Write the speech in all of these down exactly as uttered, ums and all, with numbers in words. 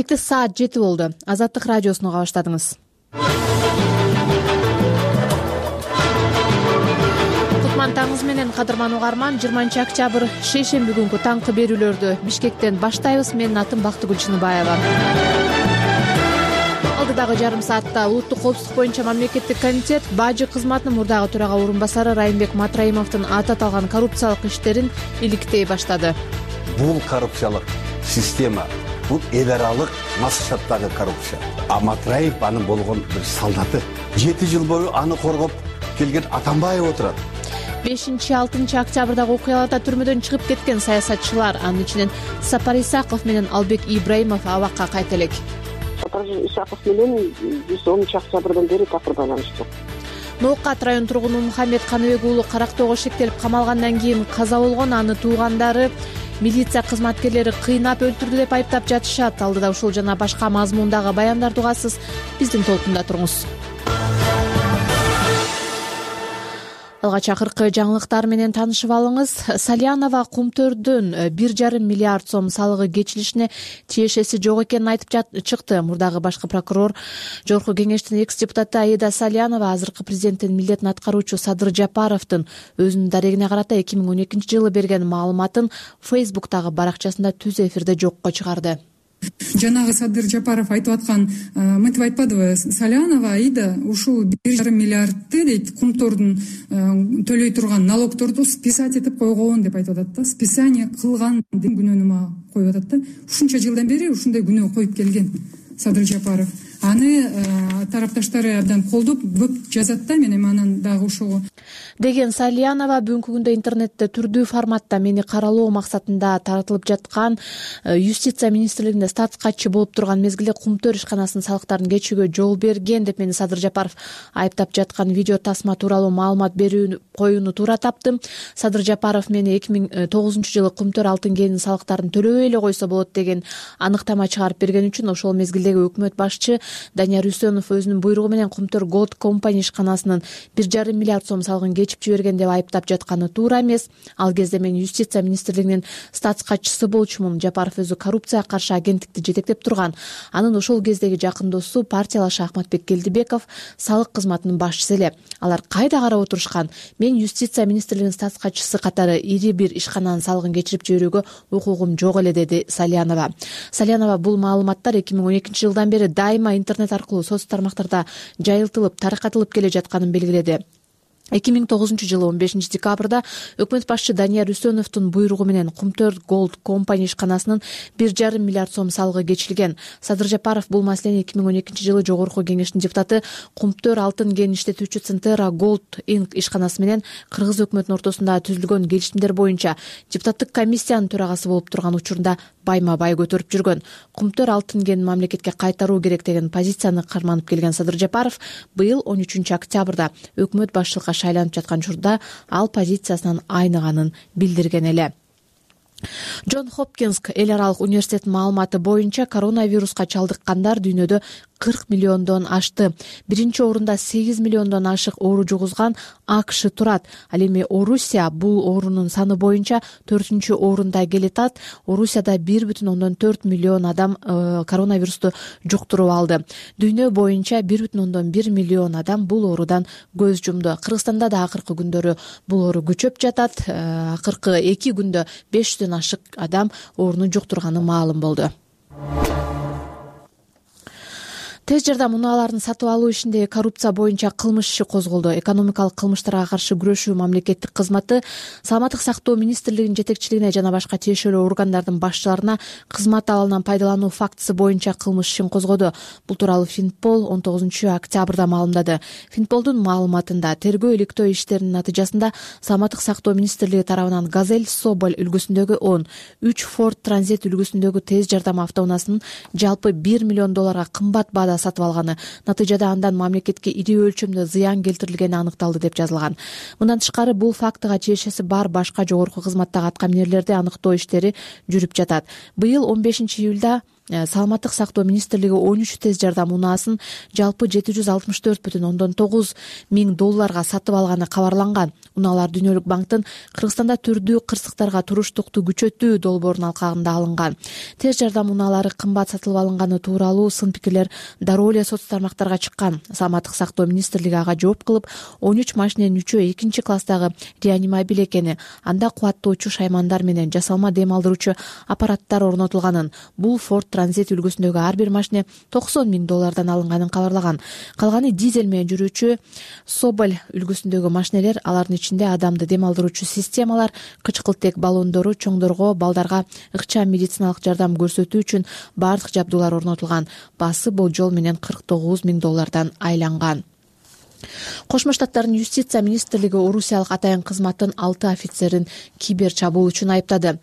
Саат жети болду. Азаттык радиосуну уга баштадыңыз. Кутман таңыңыз менен, кадырман угарман. жыйырманчы октябрь шейшемби күнгү таңкы берүүлөрдү Бишкектен баштайбыз. Менин атым Бактыгүл Чыныбаева. Алдыдагы жарым саатта улуттук коопсуздук боюнча мамлекеттик комитет бажы кызматынын мурдагы төрага орун басары Райымбек Матраимовдун аты аталган коррупциялык иштерин иликтей баштады. Бул коррупциялык система, бул эл аралык массаттагы коррупция. А Матраев анын болгон бир солдаты. жети жыл бою аны коргоп келген Атамбаев отурат. бешинчи алтынчы октябрдагы окуяларда түрмөдөн чыгып кеткен саясатчылар, анын ичинен Сапар Исаков менен Албек Ибраимов абакка кайта элек. Сапар Исаков менен биз онунчу октябрдан бери такыр байланыштык. Ноокат район тургуну Мухаммед Каныбек уулу Карактоого шектелип камалгандан кийин каза болгон. Аны туугандары милиция кызматкерлери кыйнап өлтүрдү деп айыптап жатышат. Алдыда ушул жана башка мазмундагы баяндарды угасыз. Биздин толкунда туруңуз. Алгач акыркы жаңылыктар менен таанышып алыңыз. Салянова Кумтөрдөн бир жарым миллиард сом салыгы кечилишине тиешеси жок экенин айтып чыкты. Мурдагы башкы прокурор Жогорку кеңештин экс депутаты Аида Салянова азыркы президенттин милдетин аткаруучу Садыр Жапаровдун өзүнүн дарегине карата эки миң он экинчи жылы берген маалыматын Фейсбуктагы баракчасында түз эфирде жокко чыгарды. Жанагы Садыр Жапаров айтып аткан мынтип айтпадыбы? Салянова Аида ушул бир жарым миллиардты дейт Кумтордун төлөй турган налогторду списать этип койгон деп айтып атат да. Списание кылган деген күнөөнү мага коюп атат да. Ушунча жылдан бери ушундай күнөө коюп келген Садыр Жапаров. Аны тарапташтары абдан колдоп көп жазат да, мен эми анан дагы ошого деген Салянова бүгүнкү күндө интернетте түрдүү форматта мени каралоо максатында таратылып жаткан юстиция министрлигинде статус катчы болуп турган мезгилде Кумтөр ишканасынын салыктарын кечүүгө жол берген деп мени Садыр Жапаров айыптап жаткан видео тасма тууралуу маалымат берүү коюуну туура таптым. Садыр Жапаров мени эки миң тогузунчу жылы Кумтөр алтын кенинин салыктарын төлөбөй эле койсо болот деген аныктама чыгарып берген үчүн ошол мезгилдеги өкмөт башчы Данияр Үсөнов өзүнүн буйругу менен Кумтөр Gold Company ишканасынын бир жарым миллиард сом салыгын кечип жиберген деп айыптап жатканы туура эмес. Ал кезде мен юстиция министрлигинин статус катчысы болчумун. Жапаров өзү коррупцияга каршы агенттикти жетектеп турган. Анын ошол кездеги жакын досу партиялашы Ахматбек Келдибеков салык кызматынын башчысы эле. Алар кайда карап отурушкан? Мен юстиция министрлигинин статус катчысы катары ири бир ишкананын салыгын кечирип жиберүүгө укугум жок эле, деди Салянова. Салянова бул маалыматтар эки миң он экинчи жылдан бери дайыма интернет аркылуу соц тармактарда жайылтылып, таркатылып келе жатканын белгиледи. эки миң тогузунчу жылы он бешинчи декабрда өкмөт башчы Данияр Үсөновдун буйругу менен Кумтөр Gold Company ишканасынын бир жарым миллиард сом салыгы кечилген. Садыр Жапаров бул маселени эки миң он экинчи жылы Жогорку кеңештин депутаты Кумтөр алтын кен иштетүүчү Центера Gold Inc ишканасы менен кыргыз өкмөтүнүн ортосунда түзүлгөн келишимдер боюнча депутаттык комиссиянын төрагасы болуп турган учурунда байма бай көтөрүп жүргөн. Кумтөр алтын кенин мамлекетке кайтаруу керек деген позицияны карманып келген Садыр Жапаров быйыл он үчүнчү октябрда өкмөт башчылыкка шайланып жаткан учурда ал позициясынан айныганын билдирген эле. Джон Хопкинс эл аралык университетинин маалыматы боюнча коронавируска чалдыккандар дүйнөдө кырк миллиондон ашты. Биринчи орунда сегиз миллиондон ашык оору жугузган АКШ турат. Ал эми Орусия бул оорунун саны боюнча төртүнчү орунда келатат. Орусияда бир бүтүн ондон төрт миллион адам э, коронавирусту жуктуруп алды. Дүйнө боюнча бир бүтүн ондон бир миллион адам бул оорудан көз жумду. Кыргызстанда да акыркы күндөрү бул оору күчөп жатат. Э, акыркы эки күндө беш жүздөн ашык адам ооруну жуктурганы маалым болду. Тез жардам унааларын сатып алуу ишиндеги коррупция боюнча кылмыш иши козголду. Экономикалык кылмыштарга каршы күрөшүү мамлекеттик кызматы Саламаттык сактоо министрлигинин жетекчилигине жана башка тиешелүү органдардын башчыларына кызмат абалынан пайдалануу фактысы боюнча кылмыш ишин козгоду. Бул тууралуу Финпол он тогузунчу октябрда маалымдады. Финполдун маалыматында тергөө иликтөө иштеринин натыйжасында Саламаттык сактоо министрлиги тарабынан Газель Соболь үлгүсүндөгү он, үч Ford Transit үлгүсүндөгү тез жардам автоунаасынын жалпы бир миллион долларга кымбат баада сатып алганы, натыйжада андан мамлекетке ири өлчөмдө зыян келтирилгени аныкталды деп жазылган. Мындан тышкары бул фактыга тиешеси бар башка жогорку кызматтагы аткаминерлерди аныктоо иштери жүрүп жатат. Быйыл он бешинчи июлда саламаттык сактоо министрлиги он үч тез жардам унаасын жалпы жети жүз алтымыш төрт бүтүн ондон тогуз миң долларга сатып алганы кабарланган. Унаалар Дүйнөлүк банктын Кыргызстанда түрдүү кырсыктарга туруштукту күчөтүү долбоорунун алкагында алынган. Тез жардам унаалары кымбат сатылып алынганы тууралуу сын пикирлер дароо эле соц тармактарга чыккан. Саламаттык сактоо министрлиги ага жооп кылып, он үч машиненин үчөө экинчи класстагы реанимобиль экени, анда кубаттоочу шаймандар менен жасалма дем алдыруучу аппараттар орнотулганын, бул Ford Transit үлгүсүндөгү ар бир машине токсон миң доллардан алынганын кабарлаган. Калганы дизель менен жүрүүчү Соболь үлгүсүндөгү машинелер, алардын ичинде адамды дем алдыруучу системалар, кычкылтек баллондору, чоңдорго балдарга ыкчам медициналык жардам көрсөтүү үчүн бардык жабдуулар орнотулган. Баасы болжол менен кырк тогуз миң доллардан айланган. Кошмо Штаттардын юстиция министрлиги орусиялык атайын кызматтын алты офицерин кибер чабуул үчүн айыптады.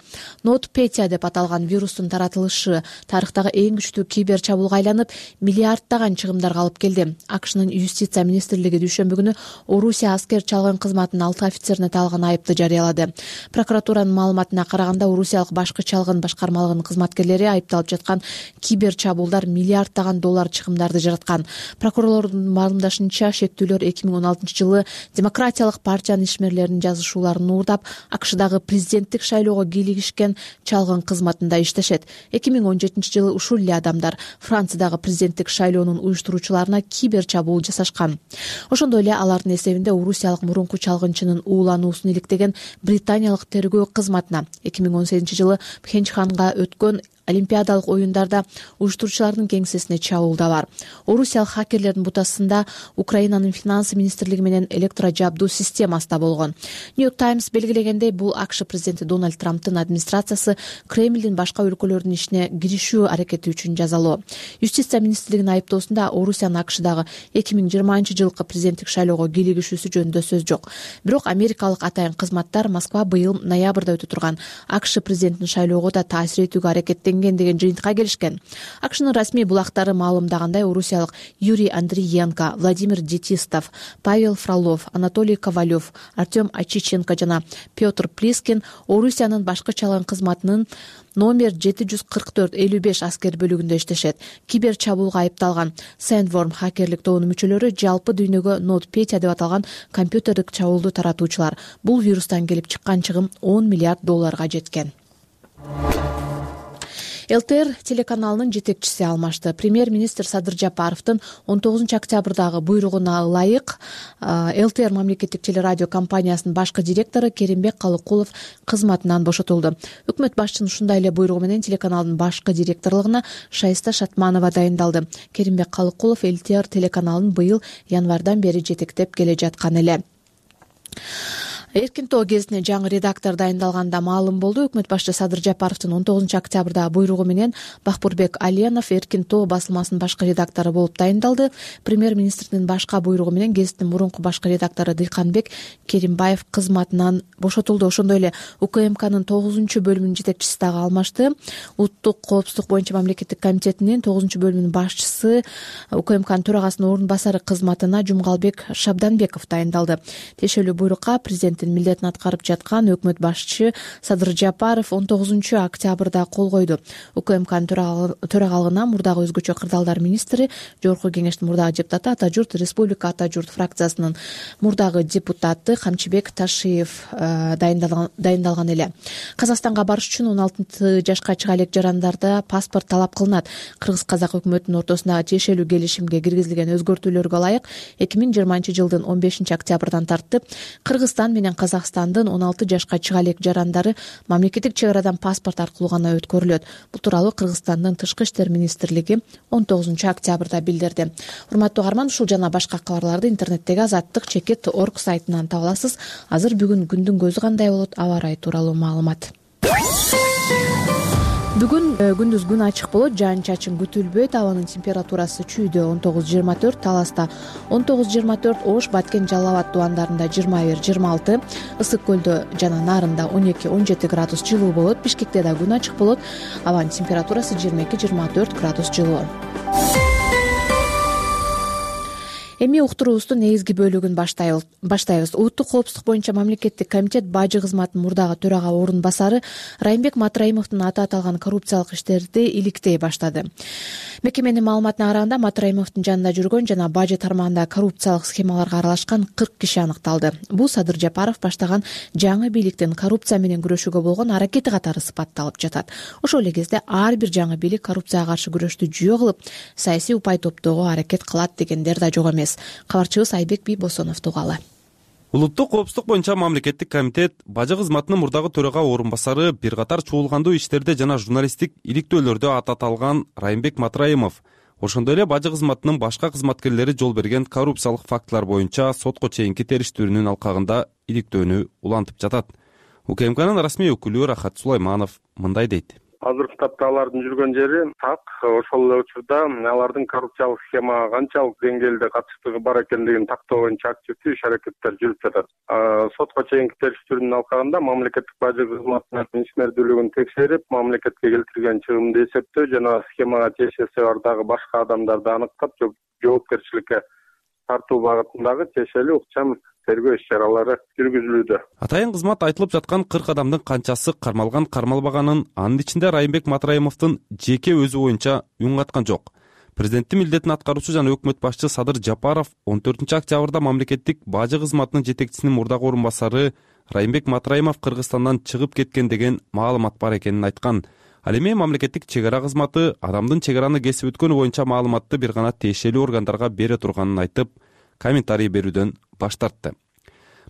NotPetya деп аталган вирустун таратылышы тарыхтагы эң күчтүү кибер чабуулга айланып, миллиарддаган чыгымдарга алып келди. АКШнын юстиция министрлиги дүйшөмбү күнү Орусия аскер чалган кызматынын алты офицерине таалган айыпты жарыялады. Прокуратуранын маалыматына караганда, Орусиялык башкы чалгын башкармалыгынын кызматкерлери айыпталып жаткан кибер чабуулдар миллиарддаган доллар чыгымдарды жараткан. Прокурорлордун маалымдашынча, шектүү эки миң он алтынчы жылы Демократиялык партиянын ишмерлеринин жазышууларын уурдап, АКШдагы президенттик шайлоого кийлигишкен чалгын кызматында иштешет. эки миң он жетинчи жылы ушул эле адамдар Франциядагы президенттик шайлоонун уюштуруучуларына кибер чабуул жасашкан. Ошондой эле алардын эсебинде орусиялык мурунку чалгынчынын уулануусун иликтеген британиялык тергөө кызматына эки миң он сегизинчи жылы Пхенчханга өткөн Олимпиадалык оюндарда уюштуруучулардын кеңсесине чабуул да бар. Орусиялык хакерлердин бутасында Украинанын финансы министрлиги менен электрожабдуу системасы да болгон. New York Times белгилегендей, бул АКШ президенти Дональд Трамптын администрациясы Кремлдин башка өлкөлөрдүн ишине киришүү аракети үчүн жазалоо. Юстиция министрлигинин айыптоосунда Орусиянын АКШдагы эки миң жыйырманчы жылкы президенттик шайлоого кийлигишүүсү жөнүндө сөз жок. Бирок америкалык атайын кызматтар Москва быйыл ноябрда өтө турган АКШ президентинин шайлоого да таасир этүүгө аракеттенген деген жыйынтыкка келишкен. АКШнын расмий булактары маалымдагандай, орусиялык Юрий Андриенко, Владимир Детистов, Павел Фролов, Анатолий Ковалев, Артем Ачиченко жана Петр Плискин Орусиянын башкы чалган кызматынын номер жети жүз кырк төрт элүү беш аскер бөлүгүндө иштешет. Кибер чабуулга айыпталган Sandworm хакерлик тобунун мүчөлөрү жалпы дүйнөгө NotPetya деп аталган компьютердик чабуулду таратуучулар. Бул вирустан келип чыккан чыгым он миллиард долларга жеткен. ЛТР телеканалынын жетекчиси алмашты. Премьер-министр Садыр Жапаровдун он тогузунчу октябрдагы буйругуна ылайык ЛТР мамлекеттик телерадио компаниясынын башкы директору Керимбек Калыкулов кызматынан бошотулду. Өкмөт башчынын ушундай эле буйругу менен телеканалдын башкы директорлугуна Шайста Шатманова дайындалды. Керимбек Калыкулов ЛТР телеканалын быйыл январдан бери жетектеп келе жаткан эле. Эркин тоо гезитине жаңы редактор дайындалганда маалым болду. Өкмөт башчы Садыр Жапаровдун он тогузунчу октябрда буйругу менен Бахпурбек Аленов Эркин тоо басылмасынын башкы редактору болуп дайындалды. Премьер-министрдин башка буйругу менен гезиттин мурунку башкы редактору Дыйканбек Керимбаев кызматынан бошотулду. Ошондой эле УКМКнын тогузунчу бөлүмүнүн жетекчиси дагы алмашты. Улуттук коопсуздук боюнча мамлекеттик комитетинин тогузунчу бөлүмүнүн башчысы, УКМКнын төрагасынын орун басары кызматына Жумгалбек Шабданбеков дайындалды. Тиешелүү буйрукка президенттин милдетин аткарып жаткан өкмөт башчы Садыр Жапаров он тогузунчу октябрда кол койду. УКМКнын төрагалыгына мурдагы өзгөчө кырдаалдар министри, Жогорку кеңештин мурдагы депутаты, Ата журт Республика Ата журт фракциясынын мурдагы депутаты Камчыбек Ташиев дайындалган эле. Казакстанга барыш үчүн он алты жашка чыга элек жарандарда паспорт талап кылынат. Кыргыз-казак өкмөтүнүн ортосундагы тиешелүү келишимге киргизилген өзгөртүүлөргө ылайык эки миң жыйырманчы жылдын он бешинчи октябрдан тартып Кыргызстан менен Казакстандын он алты жашка чыга элек жарандары мамлекеттик чек арадан паспорт аркылуу гана өткөрүлөт. Бул тууралуу Кыргызстандын Тышкы иштер министрлиги он тогузунчу октябрда билдирди. Урматтуу каарман, ушул жана башка кабарларды интернеттеги азаттык чекит точка орг сайтынан таба аласыз. Азыр бүгүн күндүн көзү кандай болот, аба ырайы тууралуу маалымат. Бүгүн күндүз күн ачык болот, жаан-чачын күтүлбөйт. Абанын температурасы чүйдө он тогуз жыйырма төрт, Таласта он тогуз жыйырма төрт, Ош, Баткен, Жалал Абад тубандарында жыйырма бир жыйырма алты, Ысык көлдө жана Нарында он эки он жети градус жылуу болот. Бишкекте да күн ачык болот. Абанын температурасы жыйырма эки жыйырма төрт градус жылуу. Эми уктуруубуздун негизги бөлүгүн баштайбыз. Улуттук коопсуздук боюнча мамлекеттик комитет бажы кызматынын мурдагы төрага орун басары Райымбек Матраимовдун аты аталган коррупциялык иштерди иликтей баштады. Мекеменин маалыматына караганда Матраимовдун жанында жүргөн жана бажы тармагында коррупциялык схемаларга аралашкан кырк киши аныкталды. Бул Садыр Жапаров баштаган жаңы бийликтин коррупция менен күрөшүүгө болгон аракети катары сыпатталып жатат. Ошол эле кезде ар бир жаңы бийлик коррупцияга каршы күрөштү жүйө кылып, саясий упай топтоого аракет кылат дегендер да жок эмес. Кабарчыбыз Айбек Бийбосоновду угалы. Улуттук коопсуздук боюнча мамлекеттик комитет бажы кызматынын мурдагы төрага орун басары бир катар чуулгандуу иштерде жана журналисттик иликтөөлөрдө аты аталган Райымбек Матраимов, ошондой эле бажы кызматынын башка кызматкерлери жол берген коррупциялык фактылар боюнча сотко чейинки териштирүүнүн алкагында иликтөөнү улантып жатат. УКМКнын расмий өкүлү Рахат Сулайманов мындай дейт. Азыркы тапта алардын жүргөн жери так, ошол эле учурда алардын коррупциялык схемага канчалык деңгээлде катыштыгы бар экендигин тактоо боюнча активдүү иш аракеттер жүрүп жатат. Сотко чейинки териштирүүнүн алкагында мамлекеттик бажы кызматынын ишмердүүлүгүн текшерип, мамлекетке келтирген чыгымды эсептөө жана схемага тиешеси бар дагы башка адамдарды аныктап, жоопкерчиликке тартуу багытындагы тиешелүү ыкчам тергөө иш-чаралары жүргүзүлүүдө. Атайын кызмат айтылып жаткан кырк адамдын канчасы кармалган кармалбаганын, анын ичинде Райымбек Матраимовдун жеке өзү боюнча үн каткан жок. Президенттин милдетин аткаруучу жана өкмөт башчы Садыр Жапаров он төртүнчү октябрда мамлекеттик бажы кызматынын жетекчисинин мурдагы орун басары Райымбек Матраимов Кыргызстандан чыгып кеткен деген маалымат бар экенин айткан. Ал эми мамлекеттик чек ара кызматы адамдын чек араны кесип өткөнү боюнча маалыматты бир гана тиешелүү органдарга бере турганын айтып, комментарий берүүдөн баш тартты.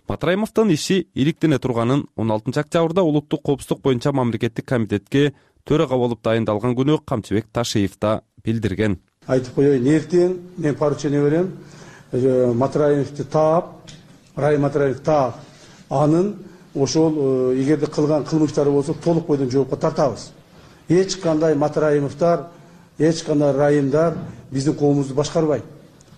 Матраимовдун иши иликтене турганын он алтынчы октябрда улуттук коопсуздук боюнча мамлекеттик комитетке төрага болуп дайындалган күнү Камчыбек Ташиев да билдирген. Айтып коеюн, эртең мен поручение берем, Матраимовду таап, Райым Матраимов таап, анын ошол эгерде кылган кылмыштары болсо толук бойдон жоопко тартабыз. Эч кандай Матраимовдор, эч кандай Райымдар биздин коомубузду башкарбайт.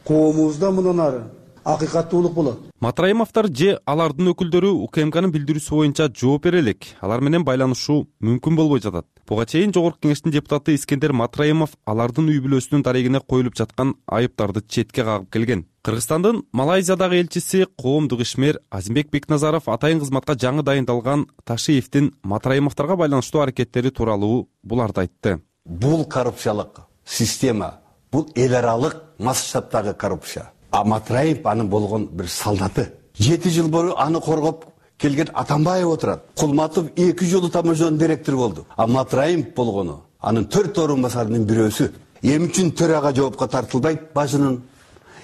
Коомубузда мындан ары акыйкаттуулук болот. Матраимовдор же алардын өкүлдөрү УКМКнын билдирүүсү боюнча жооп бере элек. Алар менен байланышуу мүмкүн болбой жатат. Буга чейин Жогорку Кеңештин депутаты Искендер Матраимов алардын үй бүлөсүнүн дарегине коюлуп жаткан айыптарды четке кагып келген. Кыргызстандын Малайзиядагы элчиси коомдук ишмер Азимбек Бекназаров атайын кызматка жаңы дайындалган Ташиевдин Матраимовдорго байланыштуу аракеттери тууралуу буларды айтты. Бул коррупциялык система, бул эл аралык масштабтагы коррупция. А Матраимов анын болгон бир солдаты. жети жыл бою аны коргоп келген Атамбаев отурат. Кулматов эки жолу таможонун директору болду. А Матраимов болгону анын төрт орун басарынын бирөөсү. Эмне үчүн төрага жоопко тартылбайт бажынын?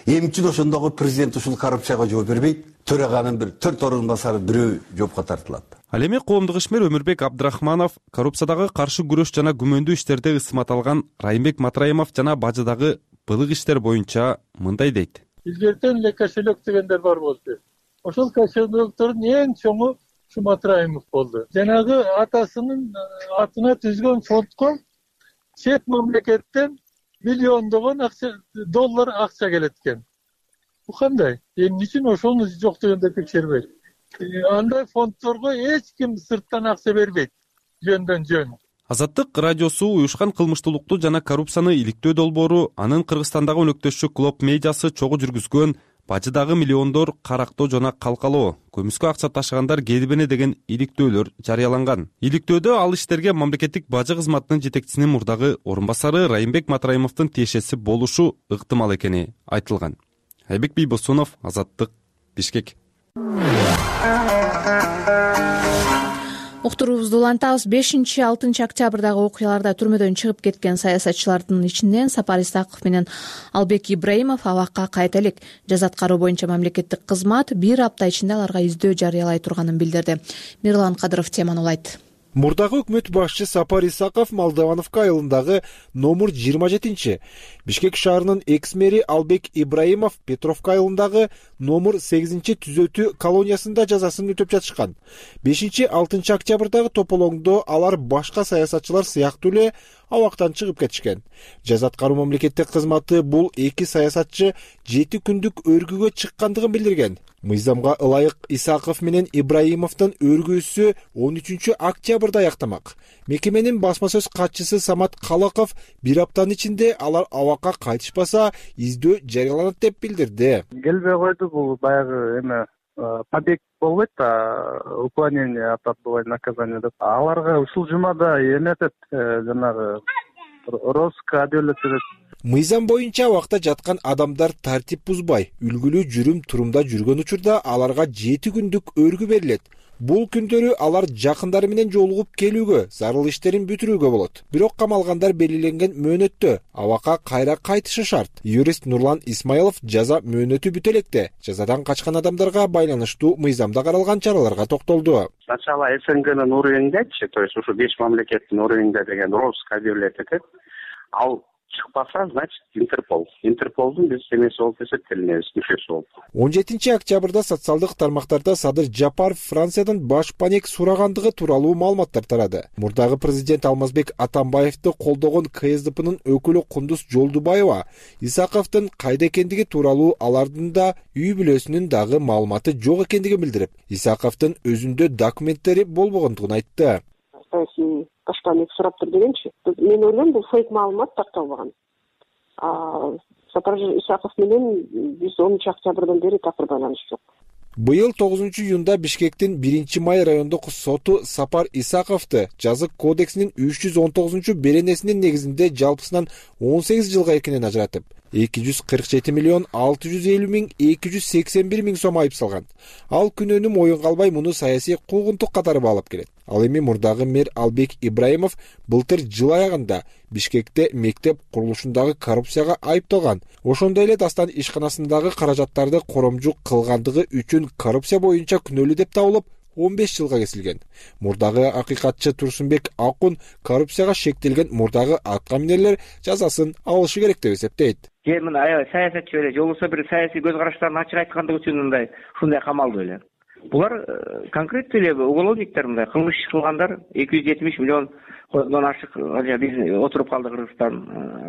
Эмне үчүн ошондогу президент ушул коррупцияга жооп бербейт? Төраганын бир төрт орун басары бирөө жоопко тартылат. Ал эми коомдук ишмер Өмүрбек Абдрахманов коррупциядагы каршы күрөш жана күмөндүү иштерде ысмат алган Райымбек Матраимов жана бажыдагы былык иштер боюнча мындай дейт. Илгертен эле кошелек дегендер бар болду. Ошол кошелектердин эң чоңу ушу Матраимов болду. Жанагы атасынын атына түзгөн фондко чет мамлекеттен миллиондогон акча доллар акча келет экен. Бу кандай? Эмне үчүн ошону жок дегенде текшербейт? Андай фонддорго эч ким сырттан акча бербейт. Жөндөн жөн. Азаттык радиосу уюшкан кылмыштуулукту жана коррупцияны иликтөө долбоору анын Кыргызстандагы өнөктөшчү Клоп медиасы чогуу жүргүзгөн бажыдагы миллиондор карактоо жана калкалоо, көмүскө акча ташыгандар кедибене деген иликтөөлөр жарыяланган. Иликтөөдө ал иштерге мамлекеттик бажы кызматынын жетекчисинин мурдагы орун басары Райымбек Матраимовдун тиешеси болушу ыктымал экени айтылган. Айбек Бийбосонов, Азаттык, Бишкек. Уктуруубузду улантабыз. бешинчи алтынчы октябрдагы окуяларда түрмөдөн чыгып кеткен саясатчылардын ичинен Сапар Исаков менен Албек Ибраимов абакка кайта элек. Жаза аткаруу боюнча мамлекеттик кызмат бир апта ичинде аларга издөө жарыялай турганын билдирди. Мирлан Кадыров теманы улайт. Мурдагы өкмөт башчы Сапар Исаков Молдовановка айылындагы номер жыйырма жетинчи, Бишкек шаарынын экс-мэри Албек Ибраимов Петровка айылындагы номер сегизинчи түзөтүү колониясында жазасын өтөп жатышкан. бешинчи алтынчы октябрдагы тополоңдо алар башка саясатчылар сыяктуу эле абактан чыгып кетишкен. Жаза аткаруу мамлекеттик кызматы бул эки саясатчы жети күндүк өргүгө чыккандыгын билдирген. Мыйзамга ылайык Исаков менен Ибраимовдун өргүүсү он үчүнчү октябрда аяктамак. Мекеменин басма сөз катчысы Самат Калаков бир аптанын ичинде алар абакка кайтышпаса издөө жарыяланат деп билдирди. Келбей койду, бул баягы эме побег болбойт да, уклонение от отбывания наказания деп. Аларга ушул жумада эметет, жанагы розыска объявлять этет. Мыйзам боюнча абакта жаткан адамдар тартип бузбай, үлгүлүү жүрүм-турумда жүргөн учурда аларга жети күндүк өргү берилет. Бул күндөрү алар жакындары менен жолугуп келүүгө, зарыл иштерин бүтүрүүгө болот. Бирок камалгандар белгиленген мөөнөттө абакка кайра кайтышы шарт. Юрист Нурлан Исмаилов жаза мөөнөтү бүтө электе жазадан качкан адамдарга байланыштуу мыйзамда каралган чараларга токтолду. Сначала СНГнын уровеньдечи, то есть ушу беш мамлекеттин уровеньде деген розыск объявлять этет. Ал чыкпаса, значит, Интерпол. Интерполдун биз эмеси болуп эсептелинебиз, мүчөсү болуп. он жетинчи октябрда социалдык тармактарда Садыр Жапаров Франциядан баш панек сурагандыгы тууралуу маалыматтар тарады. Мурдагы президент Алмазбек Атамбаевди колдогон КСДПнын өкүлү Кундуз Жолдубаева Исаковдун кайда экендиги тууралуу алардын да үй бүлөсүнүн дагы маалыматы жок экендигин билдирип, Исаковдун өзүндө документтери болбогондугун айтты. Башпанек сураптыр дегенчи. Мен ойлойм, бул фейк маалымат такталбаган. Сапар Исаков менен биз онунчу октябрдан бери такыр байланыш жок. Быйыл тогузунчу июнда Бишкектин биринчи май райондук соту Сапар Исаковду жазык кодексинин үч жүз он тогузунчу беренесинин негизинде жалпысынан он сегиз жылга эркинен ажыратып, эки жүз кырк жети миллион алты жүз элүү миң эки жүз сексен бир миң сом айып салган. Ал күнөөнү моюнга албай муну саясий куугунтук катары баалап келет. Ал эми мурдагы мэр Албек Ибраимов былтыр жыл аягында Бишкекте мектеп курулушундагы коррупцияга айыпталган. Ошондой эле Дастан ишканасындагы каражаттарды коромжук кылгандыгы үчүн коррупция боюнча күнөөлүү деп табылып, он беш жылга кесилген. Мурдагы акыйкатчы Турсунбек Акун коррупцияга шектелген мурдагы атка минерлер жазасын алышы керек деп эсептейт. Же мына аябай саясатчы эле, жолбосо бир саясий көз караштарын ачык айткандыгы үчүн мындай ушундай камалды эле. Булар конкреттүү эле уголовниктер, мындай кылмыш кылгандар, эки жүз жетимиш миллион кодон ашык биз отуруп калды Кыргызстан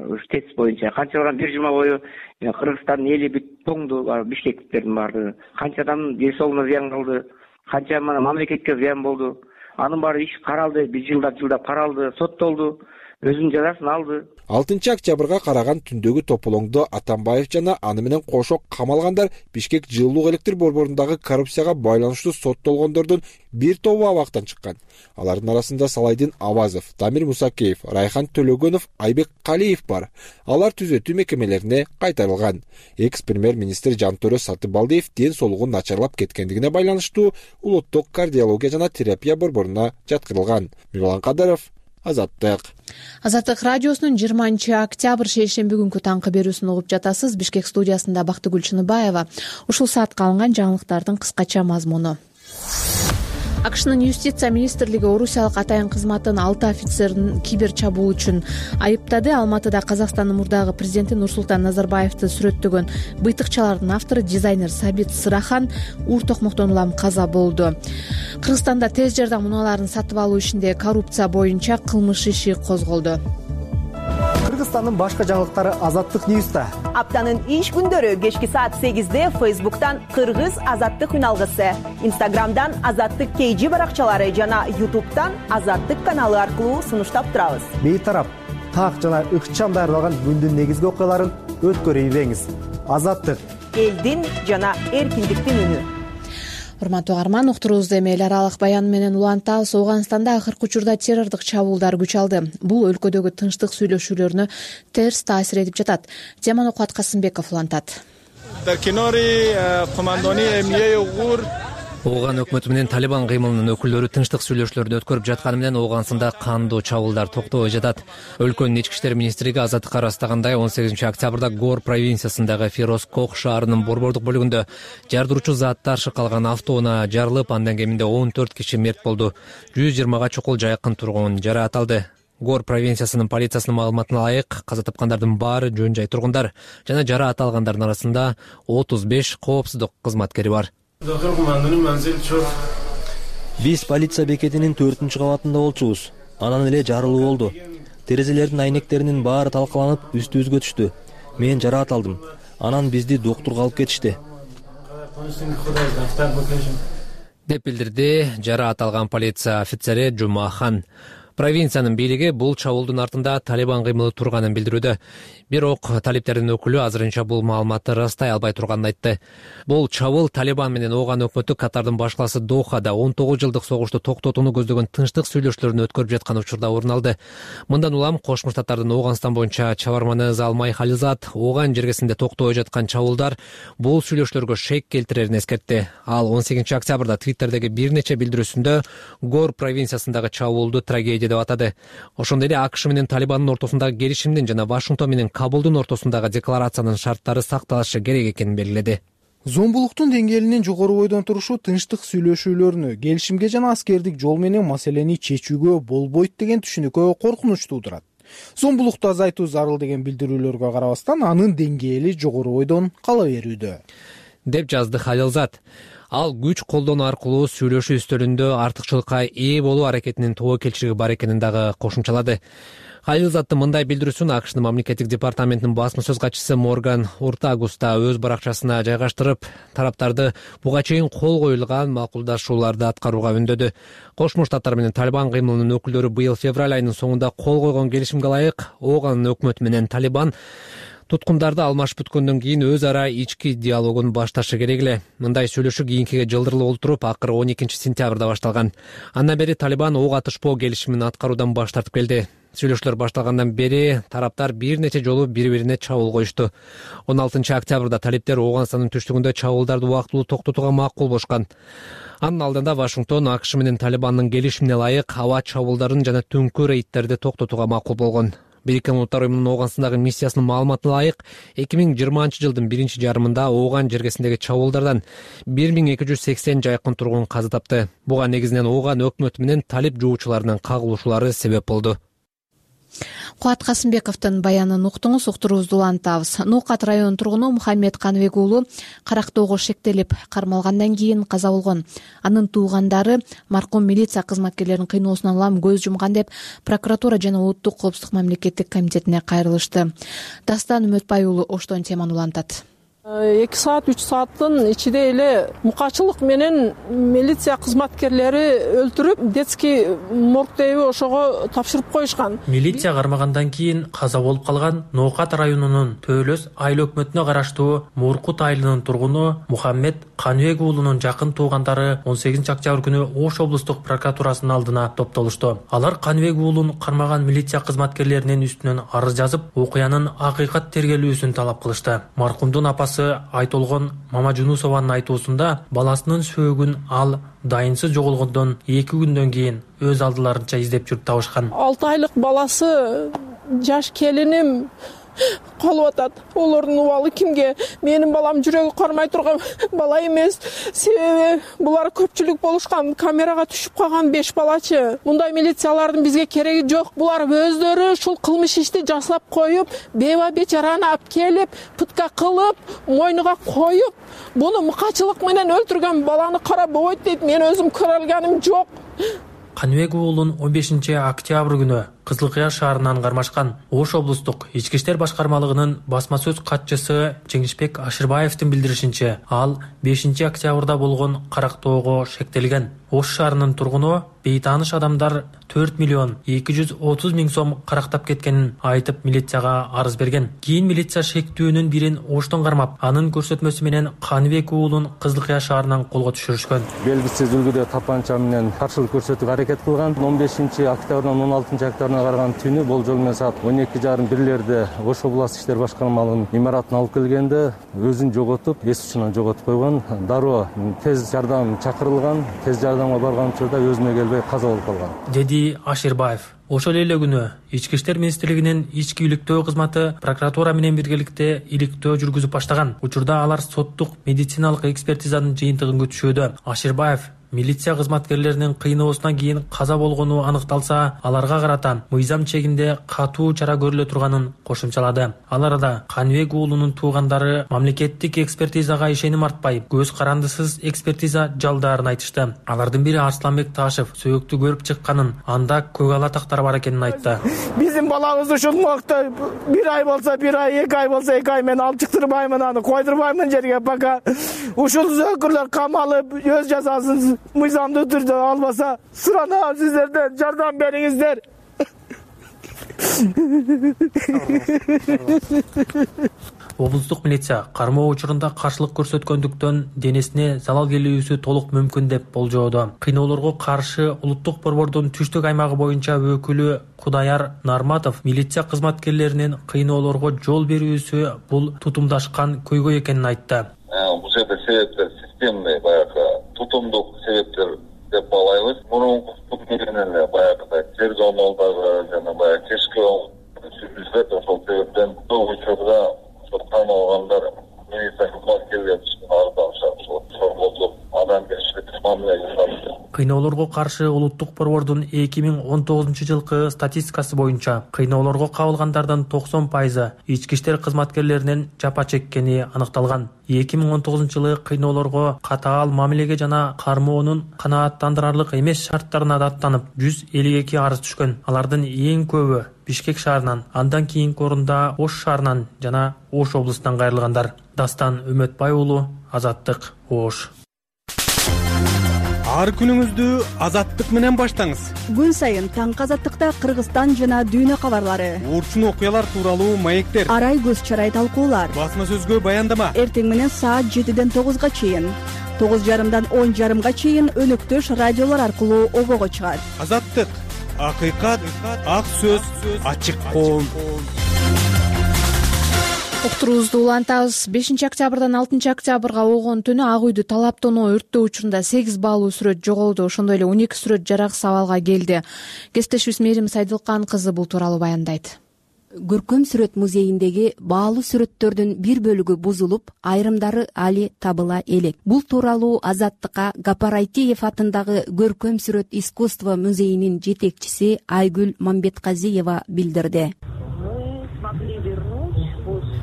ушу ТЭЦ боюнча. Канчадан бир жума бою Кыргызстандын эли бүт тоңду, бишкектиктердин баары. Канча адам ден соолугуна зыян калды, канча мына мамлекетке зыян болду. Анын баары иш каралды, бир жылдап жылдап каралды, соттолду, өзүнүн жазасын алды. алтынчы октябрга караган түндөгү тополоңдо Атамбаев жана аны менен кошо камалгандар Бишкек жылуулук электр борборундагы коррупцияга байланыштуу соттолгондордун бир тобу абактан чыккан. Алардын арасында Салайдин Авазов, Дамир Мусакеев, Райхан Төлөгөнов, Айбек Калиев бар. Алар түзөтүү мекемелерине кайтарылган. Экс-премьер-министр Жантөрө Сатыбалдиев ден соолугу начарлап кеткендигине байланыштуу улуттук кардиология жана терапия борборуна жаткырылган. Мирлан Кадыров, Азаттык. Азаттык радиосунун жыйырманчы октябрь шейшемби күнкү таңкы берүүсүн угуп жатасыз. Бишкек студиясында Бактыгүл Чыныбаева. Ушул саатка алынган жаңылыктардын кыскача мазмуну. АКШнын юстиция министрлиги орусиялык атайын кызматтын алты офицерин кибер чабуул үчүн айыптады. Алматыда Казакстандын мурдагы президенти Нурсултан Назарбаевди сүрөттөгөн быйтыкчалардын автору дизайнер Сабит Сырахан уур токмоктон улам каза болду. Кыргызстанда тез жардам унааларын сатып алуу ишинде коррупция боюнча кылмыш иши козголду. Кыргызстандын башка жаңылыктары Азаттык Ньюста. Аптанын иш күндөрү кечки саат сегизде Фейсбуктан Кыргыз Азаттык үналгысы, Инстаграмдан Азаттык Кейжи баракчалары жана Ютубтан Азаттык каналы аркылуу сунуштап турабыз. Бейтарап, так жана ыкчам даярдалган күндүн негизги окуяларын өткөрүп ийбеңиз. Азаттык элдин жана эркиндиктин үнү. Урматтуу угарман, уктуруубузду эми эл аралык баян менен улантабыз. Ауганстанда акыркы учурда террордук чабуулдар күч алды. Бул өлкөдөгү тынчтык сүйлөшүүлөрүнө терс таасир этип жатат. Теманы Кубат Касымбеков улантат. Ооган өкмөтү менен Талибан кыймылынын өкүлдөрү тынчтык сүйлөшүүлөрдү өткөрүп жатканы менен Ооганстанда кандуу чабуулдар токтобой жатат. Өлкөнүн ички иштер министрлиги азаттыкка ырастагандай он сегизинчи октябрда Гор провинциясындагы Фероз Кох шаарынын борбордук бөлүгүндө жардыруучу заттар шыкалган автоунаа жарылып, андан кеминде он төрт киши мерт болду. жүз жыйырмага чукул жакын тургун жараат алды. Гор провинциясынын полициясынын маалыматына ылайык, каза тапкандардын баары жөн жай тургундар жана жараат алгандардын арасында отуз беш коопсуздук кызматкери бар. Биз полиция бекетинин төртүнчү кабатында болчубуз. Анан эле жарылуу болду. терезелердин айнектеринин баары талкаланып үстүбүзгө түштү. Мен жараат алдым. Анан бизди доктурга алып кетишти, деп билдирди жараат алган полиция офицери Жумахан. Провинциянын бийлиги бул чабуулдун артында Талибан кыймылы турганын билдирүүдө. Бирок талиптердин өкүлү азырынча бул маалыматты ырастай албай турганын айтты. Бул чабуул Талибан менен Ооган өкмөтү Катардын башкаласы Дохада он тогуз жылдык согушту токтотууну көздөгөн тынчтык сүйлөшүүлөрүн өткөрүп жаткан учурда орун алды. Мындан улам Кошмо Штаттардын Ооганстан боюнча чабарманы Залмай Хализат Ооган жергесинде токтобой жаткан чабуулдар бул сүйлөшүүлөргө шек келтирерин эскертти. Ал он сегизинчи октябрда Твиттердеги бир нече билдирүүсүндө Гор провинциясындагы чабуулду трагедия деп атады. Ошондой эле АКШ менен Талибандын ортосундагы келишимдин жана Вашингтон менен Кабулдун ортосундагы декларациянын шарттары сакталышы керек экенин белгиледи. Зомбулуктун деңгээлинин жогору бойдон турушу тынчтык сүйлөшүүлөрүнү, келишимге жана аскердик жол менен маселени чечүүгө болбойт деген түшүнүккө коркунуч туудурат. Зомбулукту азайтуу зарыл деген билдирүүлөргө карабастан анын деңгээли жогору бойдон кала берүүдө, деп жазды Халилзат. Ал күч колдонуу аркылуу сүйлөшүү үстөлүндө артыкчылыкка ээ болуу аракетинин тобокелчилиги бар экенин дагы кошумчалады. Халилзаттын мындай билдирүүсүн АКШнын мамлекеттик департаментинин басма сөз катчысы Морган Уртагус да өз баракчасына жайгаштырып, тараптарды буга чейин кол коюлган макулдашууларды аткарууга үндөдү. Кошмо Штаттар менен Талибан кыймылынын өкүлдөрү быйыл февраль айынын соңунда кол койгон келишимге ылайык Ооган өкмөтү менен Талибан туткундарды алмашып бүткөндөн кийин өз ара ички диалогун башташы керек эле. Мындай сүйлөшүү кийинкиге жылдырылып олтуруп, акыры он экинчи сентябрда башталган. Андан бери Талибан ок атышпоо келишимин аткаруудан баш тартып келди. Сүйлөшүүлөр башталгандан бери тараптар бир нече жолу бири-бирине чабуул коюшту. он алтынчы октябрда талиптер Ооганстандын түштүгүндө чабуулдарды убактылуу токтотууга макул болушкан. Анын алдында Вашингтон АКШ менен Талибандын келишимине ылайык аба чабуулдарын жана түнкү рейдтерди токтотууга макул болгон. Бириккен Улуттар уюмунун Ооганстандагы миссиясынын маалыматына ылайык, эки миң жыйырманчы жылдын биринчи жарымында Ооган жергесиндеги чабуулдардан бир миң эки жүз сексен жакын тургун каза тапты. Буга негизинен Ооган өкмөтү менен талип жуучуларынын кагылышуулары себеп болду. Кубат Касымбековдун баянын уктуңуз, уктуруубузду улантабыз. Ноокат районунун тургуну Мухаммед Каныбек уулу карактоого шектелип кармалгандан кийин каза болгон. Анын туугандары маркум милиция кызматкерлеринин кыйноосунан улам көз жумган деп прокуратура жана улуттук коопсуздук мамлекеттик комитетине кайрылышты. Дастан Үмөтбай уулу оштон теманы улантат. эки саат үч сааттын ичинде эле мукачылык менен милиция кызматкерлери өлтүрүп, детский моргдеби ошого тапшырып коюшкан. Милиция кармагандан кийин каза болуп калган Ноокат районунун Төөлөс айыл өкмөтүнө караштуу Муркут айылынын тургуну Мухаммед Каныбек уулунун жакын туугандары он сегизинчи октябрь күнү Ош облустук прокуратурасынын алдына топтолушту. Алар Каныбек уулун кармаган милиция кызматкерлеринин үстүнөн арыз жазып, окуянын акыйкат тергелүүсүн талап кылышты. Маркумдун апасы Айтолгон Мамажунусованын айтуусунда баласынын сөөгүн ал дайынсыз жоголгондон эки күндөн кийин өз алдыларынча издеп жүрүп табышкан. алты айлык баласы жаш келиним калып атат. Олордун убалы кимге? Менин балам жүрөгү кармай турган бала эмес. Себеби булар көпчүлүк болушкан, камерага түшүп калган беш балачы. Мындай милициялардын бизге кереги жок. Булар өздөрү ушул кылмыш ишти жасап коюп, беба бечараны алып келип, пытка кылып, мойнуга коюп, буну мукачылык менен өлтүргөн баланы карап болбойт дейт. Мен өзүм көрө алганым жок. Каныбек уулун он бешинчи октябрь күнү Кызылкыя шаарынан кармашкан. Ош облустук ички иштер башкармалыгынын басма сөз катчысы Жеңишбек Ашырбаевдин билдиришинче, ал бешинчи октябрда болгон карактоого шектелген. Ош шаарынын тургуну бейтааныш адамдар төрт миллион эки жүз отуз миң сом карактап кеткенин айтып милицияга арыз берген. Кийин милиция шектүүнүн бирин Оштон кармап, анын көрсөтмөсү менен Каныбек уулун Кызылкыя шаарынан колго түшүрүшкөн. Белгисиз үлгүдө тапанча менен каршылык көрсөтүүгө аракет кылган. он бешинчи октябрдан он алтынчы октябрына караган түнү болжол менен саат он эки жарым бирлерде Ош областык иштер башкармалыгынын имаратына алып келгенде өзүн жоготуп, эс учунан жоготуп койгон. Дароо тез жардам чакырылган. Тез жардамга барган учурда өзүнө келбей каза болуп калган, деди Ашырбаев. Ошол эле күнү Ички иштер министрлигинин ички иликтөө кызматы прокуратура менен биргеликте иликтөө жүргүзүп баштаган. Учурда алар соттук медициналык экспертизанын жыйынтыгын күтүшүүдө. Ашырбаев милиция кызматкерлеринин кыйноосунан кийин каза болгону аныкталса, аларга карата мыйзам чегинде катуу чара көрүлө турганын кошумчалады. Ал арада Каныбек уулунун туугандары мамлекеттик экспертизага ишеним артпай, көз карандысыз экспертиза жалдаарын айтышты. Алардын бири Арсланбек Ташев сөөктү көрүп чыкканын, анда көк ала тактар бар экенин айтты. Биздин балабыз ушул убакта бир ай болсо бир ай, эки ай болсо эки ай мен алып чыктырбаймын, аны койдурбаймын жерге, пока ушул зөөкүрлөр камалып өз жазасын мыйзамдуу түрдө албаса, суранам сиздерден, жардам бериңиздер. Облустук милиция кармоо учурунда каршылык көрсөткөндүктөн денесине залал келүүсү толук мүмкүн деп болжоодо. Кыйноолорго каршы улуттук борбордун түштүк аймагы боюнча өкүлү Кудаяр Нарматов милиция кызматкерлеринин кыйноолорго жол берүүсү бул тутумдашкан көйгөй экенин айтты. Бул жерде себептер системный, баягы тутумдук себептер деп балайбыз. Мурунку менен эле баягыдай тергөө амалдары жана баягы кечки сүйлөшүп, ошол себептен көп учурда кыйналгандар милиция кызматкерлеринин ардагышат, сорголуп, адамгерчилик мамиле жасалды. Кыйноолорго каршы улуттук борбордун эки миң он тогузунчу жылкы статистикасы боюнча кыйноолорго кабылгандардын токсон пайызы ички иштер кызматкерлеринин жапа чеккени аныкталган. эки миң он тогузунчу жылы кыйноолорго катаал мамилеге жана кармоонун канааттандырарлык эмес шарттарына даттанып жүз элүү эки арыз түшкөн. Алардын эң көбү Бишкек шаарынан, андан кийинки орунда Ош шаарынан жана Ош облусунан кайрылгандар. Дастан Үмөтбай уулу, Азаттык, Ош. Ар күнүңүздү Азаттык менен баштаңыз. Күн сайын таңкы Азаттыкта Кыргызстан жана дүйнө кабарлары, урчун окуялар тууралуу маектер, арай көз чарай талкуулар, басма сөзгө баяндама. Эртең менен саат жетиден тогузга чейин, тогуз жарымдан он жарымга чейин өнөктөш радиолор аркылуу обого чыгат. Азаттык, акыйкат, ак сөз, ачык коом. Уктуруубузду улантабыз. бешинчи октябрдан алтынчы октябрга болгон түнү Ак үйдү талаптонуу өрттөө учурунда сегиз баалуу сүрөт жоголду. Ошондой эле он эки сүрөт жараксыз абалга келди. Кесиптешибиз Мээрим Сайдылкан кызы бул тууралуу баяндайт. Көркөм сүрөт музейиндеги баалуу сүрөттөрдүн бир бөлүгү бузулуп, айрымдары али табыла элек. Бул тууралуу Азаттыкка Гапарайтиев атындагы Көркөм сүрөт искусство музейинин жетекчиси Айгүл Мамбетказиева билдирди.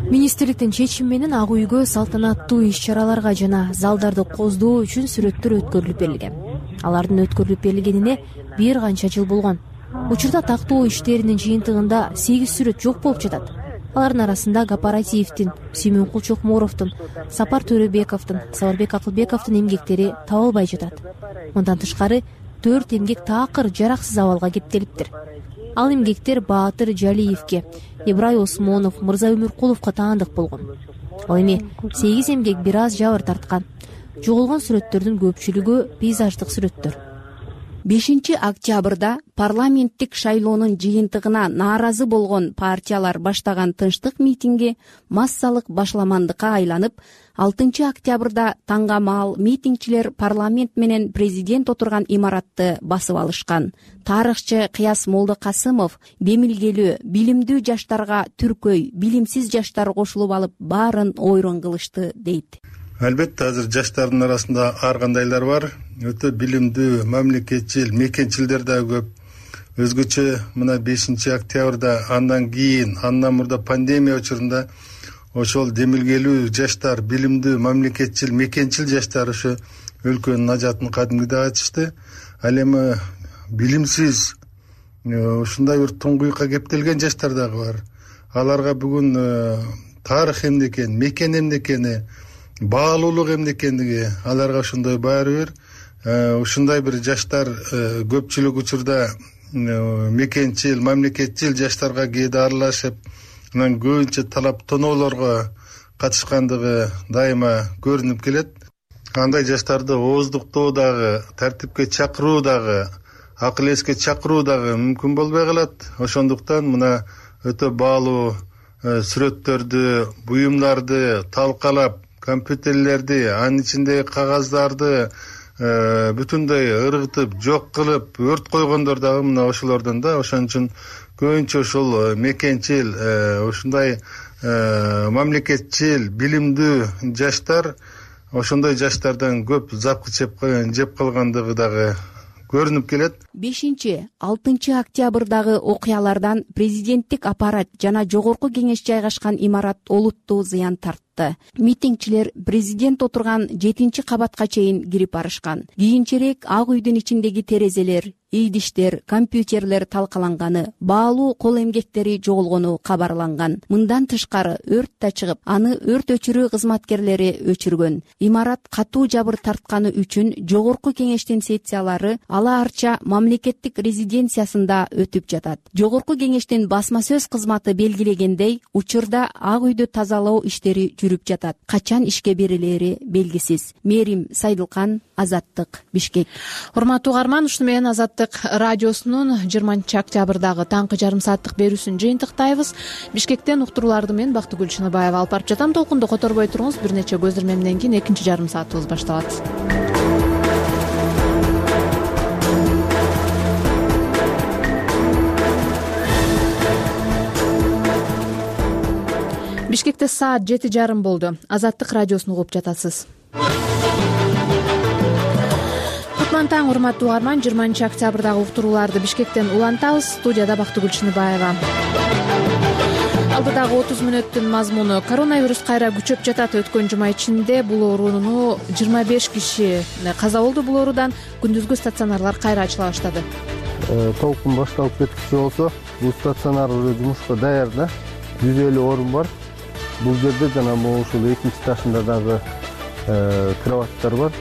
Министрликтин чечими менен Ак үйгө салтанаттуу иш-чараларга жана залдарды коздоо үчүн сүрөттөр өткөрүлүп берилген. Алардын өткөрүлүп берилгенине бир канча жыл болгон. Учурда тактоо иштеринин жыйынтыгында сегиз сүрөт жок болуп жатат. Алардын арасында Гапарайтиевдин, Сүймөнкул Чокморовдун, Сапар Төрөбековдун, Сабарбек Акылбековдун эмгектери табылбай жатат. Мындан тышкары төрт эмгек таакыр жараксыз абалга кептелиптир. Ал эмгектер Баатыр Жалиевке, Ибрай Осмонов, Мырза Өмүркуловго таандык болгон. Ал эми сегиз эмгек бир аз жабыр тарткан. Жоголгон сүрөттөрдүн көпчүлүгү пейзаждык сүрөттөр. бешинчи октябрда парламенттик шайлоонун жыйынтыгына нааразы болгон партиялар баштаган тынчтык митинги массалык башламандыкка айланып, алтынчы октябрда таңга маал митингчилер парламент менен президент отурган имаратты басып алышкан. Тарыхчы Кыяс Молдокасымов бемилгелүү, билимдүү жаштарга түркөй, билимсиз жаштар кошулуп алып баарын ойрон кылышты дейт. Албетте азыр жаштардын арасында ар кандайлар бар. Өтө билимдүү, мамлекетчил, мекенчилдер да көп. Өзгөчө мына бешинчи октябрда андан кийин, андан мурда пандемия учурунда ошол демилгелүү жаштар, билимдүү, мамлекетчил, мекенчил жаштар ошо өлкөнүн ажатын кадимгидей ачышты. Ал эми билимсиз ушундай бир туңгуйукка кептелген жаштар дагы бар. Аларга бүгүн тарых эмне экен, мекен эмне экени, баалуулук эмне экендиги аларга ошондой баары бир. Ушундай бир жаштар көпчүлүк учурда мекенчил, мамлекетчил жаштарга кээде аралашып, анан көбүнчө талаптоноолорго катышкандыгы дайыма көрүнүп келет. Андай жаштарды ооздуктоо дагы, тартипке чакыруу дагы, акыл эске чакыруу дагы мүмкүн болбой калат. Ошондуктан мына өтө баалуу сүрөттөрдү, буюмдарды талкалап, компьютерлерди, анын ичиндеги кагаздарды бүтүндөй ыргытып, жок кылып, өрт койгондор дагы мына ошолордон да. Ошон үчүн көбүнчө ошол мекенчил, ушундай мамлекетчил, билимдүү жаштар ошондой жаштардан көп запкы жеп калгандыгы дагы көрүнүп келет. бешинчи алтынчы октябрдагы окуялардан президенттик аппарат жана жогорку кеңеш жайгашкан имарат олуттуу зыян тартты. Митингчилер президент отурган жетинчи кабатка чейин кирип барышкан. Кийинчерээк Ак үйдүн ичиндеги терезелер, идиштер, компьютерлер талкаланганы, баалуу кол эмгектери жоголгону кабарланган. Мындан тышкары өрт да чыгып, аны өрт өчүрүү кызматкерлери өчүргөн. Имарат катуу жабыр тартканы үчүн жогорку кеңештин сессиялары ала арча мамлекеттик резиденциясында өтүп жатат. Жогорку кеңештин басма сөз кызматы белгилегендей, учурда Ак үйдү тазалоо иштери жүрүп жатат. Качан ишке берилери белгисиз. Мерим Сайдылкан, Азаттык, Бишкек. Урматтуу угарман, ушуну менен Азаттык радиосунун жыйырманчы октябрдагы таңкы жарым сааттык берүүсүн жыйынтыктайбыз. Бишкектен уктурууларды мен Бактыгүл Чыныбаева алып барып жатам. Толкунду которбой туруңуз. Бир нече көздөмөмдөн кийин экинчи жарым саатыбыз башталат. Бишкекте саат жети жарым болду. Азаттык радиосун угуп жатасыз. Кутман таң, урматтуу угарман. жыйырманчы октябрдагы уктурууларды Бишкектен улантабыз. Студияда Бактыгүл Чыныбаева. Алдыдагы отуз мүнөттүн мазмуну: коронавирус кайра күчөп жатат. Өткөн жума ичинде бул оорууну жыйырма беш киши каза болду. Бул оорудан күндүзгү стационарлар кайра ачыла баштады. Толкун башталып кеткичи болсо, бул стационар уже жумушка даяр да. жүз элүү орун бар. Бул жерде жана могу ушул экинчи этажында дагы кроваттар бар.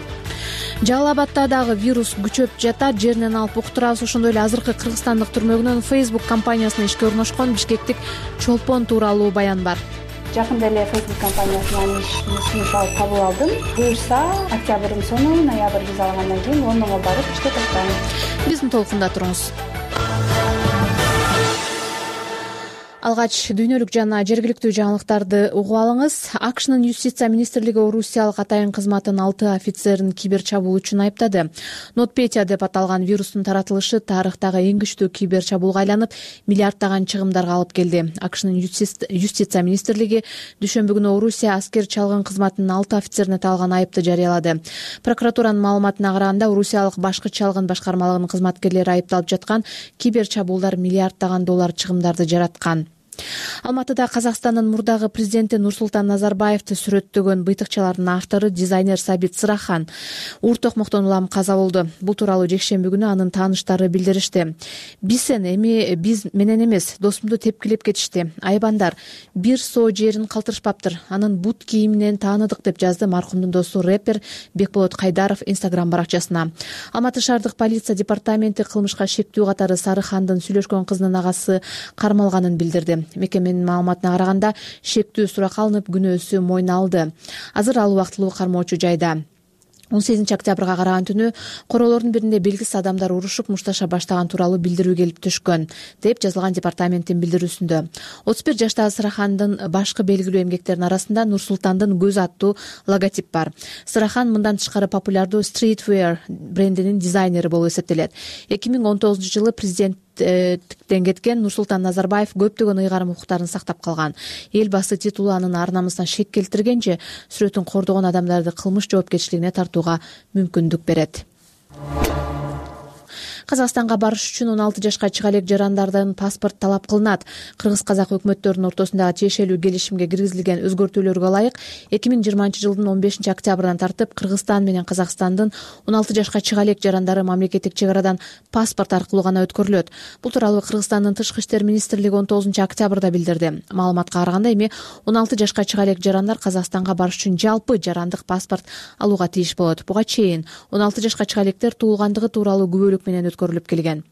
Жалал Абадда дагы вирус күчөп жатат. Жеринен алып уктурабыз. Ошондой эле азыркы кыргызстандык түрмөгүнөн Facebook компаниясына ишке орношкон бишкектик чолпон тууралуу баян бар. Жакында эле Facebook компаниясынан иш алып кабыл алдым. Буюрса, октябрдын сону, ноябрь виза алгандан кийин Лондонго барып иште токтойм. Биздин толкунда туруңуз. Алгач дүйнөлүк жана жергиликтүү жаңылыктарды угуп алыңыз. АКШнын юстиция министрлиги Орусиялык атайын кызматтын алты офицерин кибер чабуул үчүн айыптады. NotPetya деп аталган вирустун таратылышы тарыхтагы эң күчтүү кибер чабуулга айланып, миллиарддаган чыгымдарга алып келди. АКШнын юстиция министрлиги дүйшөмбү күнү Орусия аскер чалгын кызматынын алты офицерине таалган айыпты жарыялады. Прокуратуранын маалыматына караганда, Орусиялык башкы чалгын башкармалыгынын кызматкерлери айыпталып жаткан кибер чабуулдар миллиарддаган доллар чыгымдарды жараткан. Алматыда Казакстандын мурдагы президенти Нурсултан Назарбаевди сүрөттөгөн быйтыкчалардын автору дизайнер Сабит Сырахан уур токмоктон улам каза болду. Бул тууралуу жекшемби күнү анын тааныштары билдиришти. Бисен эми биз менен эмес, досумду тепкилеп кетишти. Айбандар, бир соо жерин калтырышпаптыр. Анын бут кийиминен тааныдык деп жазды маркумдун досу рэпер Бекболот Кайдаров Instagram баракчасына. Алматы шаардык полиция департаменти кылмышка шектүү катары Сарыхандын сүйлөшкөн кызынын агасы кармалганын билдирди. Мекеменин маалыматына караганда, шектүү сурак алынып, күнөөсү мойнуна алды. Азыр ал убактылуу кармоочу жайда. он сегизинчи октябрга караган түнү королордун биринде белгисиз адамдар урушуп мушташа баштаган тууралуу билдирүү келип түшкөн, деп жазылган департаменттин билдирүүсүндө. отуз бир жаштагы Сырахандын башкы белгилүү эмгектеринин арасында Нурсултандын көзү аттуу логотип бар. Сырахан мындан тышкары популярдуу Streetwear брендинин дизайнери болуп эсептелет. эки миң он тогузунчу жылы президент тен кеткен Нурсултан Назарбаев көптөгөн ыйгарым укуктарын сактап калган. Эл басы титулу анын ар намысына шек келтиргенче, сүрөтүн кордогон адамдарды кылмыш жоопкерчилигине тартууга мүмкүндүк берет. Казакстанга барыш үчүн он алты жашка чыга элек жарандардан паспорт талап кылынат. Кыргыз-казак өкмөттөрүнүн ортосундагы тиешелүү келишимге киргизилген өзгөртүүлөргө ылайык эки миң жыйырманчы жылдын он бешинчи октябрынан тартып Кыргызстан менен Казакстандын он алты жашка чыга элек жарандары мамлекеттик чек арадан паспорт аркылуу гана өткөрүлөт. Бул тууралуу Кыргызстандын тышкы иштер министрлиги он тогузунчу октябрда билдирди. Маалыматка караганда, эми он алты жашка чыга элек жарандар Казакстанга барыш үчүн жалпы жарандык паспорт алууга тийиш болот. Буга чейин он алты жашка чыга электер туулгандыгы тууралуу күбөлүк менен өткөрүлүп келген.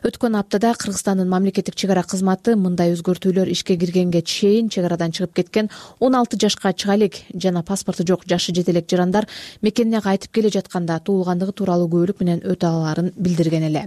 Өткөн аптада Кыргызстандын мамлекеттик чек ара кызматы мындай өзгөртүүлөр ишке киргенге чейин чек арадан чыгып кеткен он алты жашка чыга элек жана паспорту жок жашы жете элек жарандар мекенине кайтып келе жатканда туулгандыгы тууралуу күбөлүк менен өтө алаарын билдирген эле.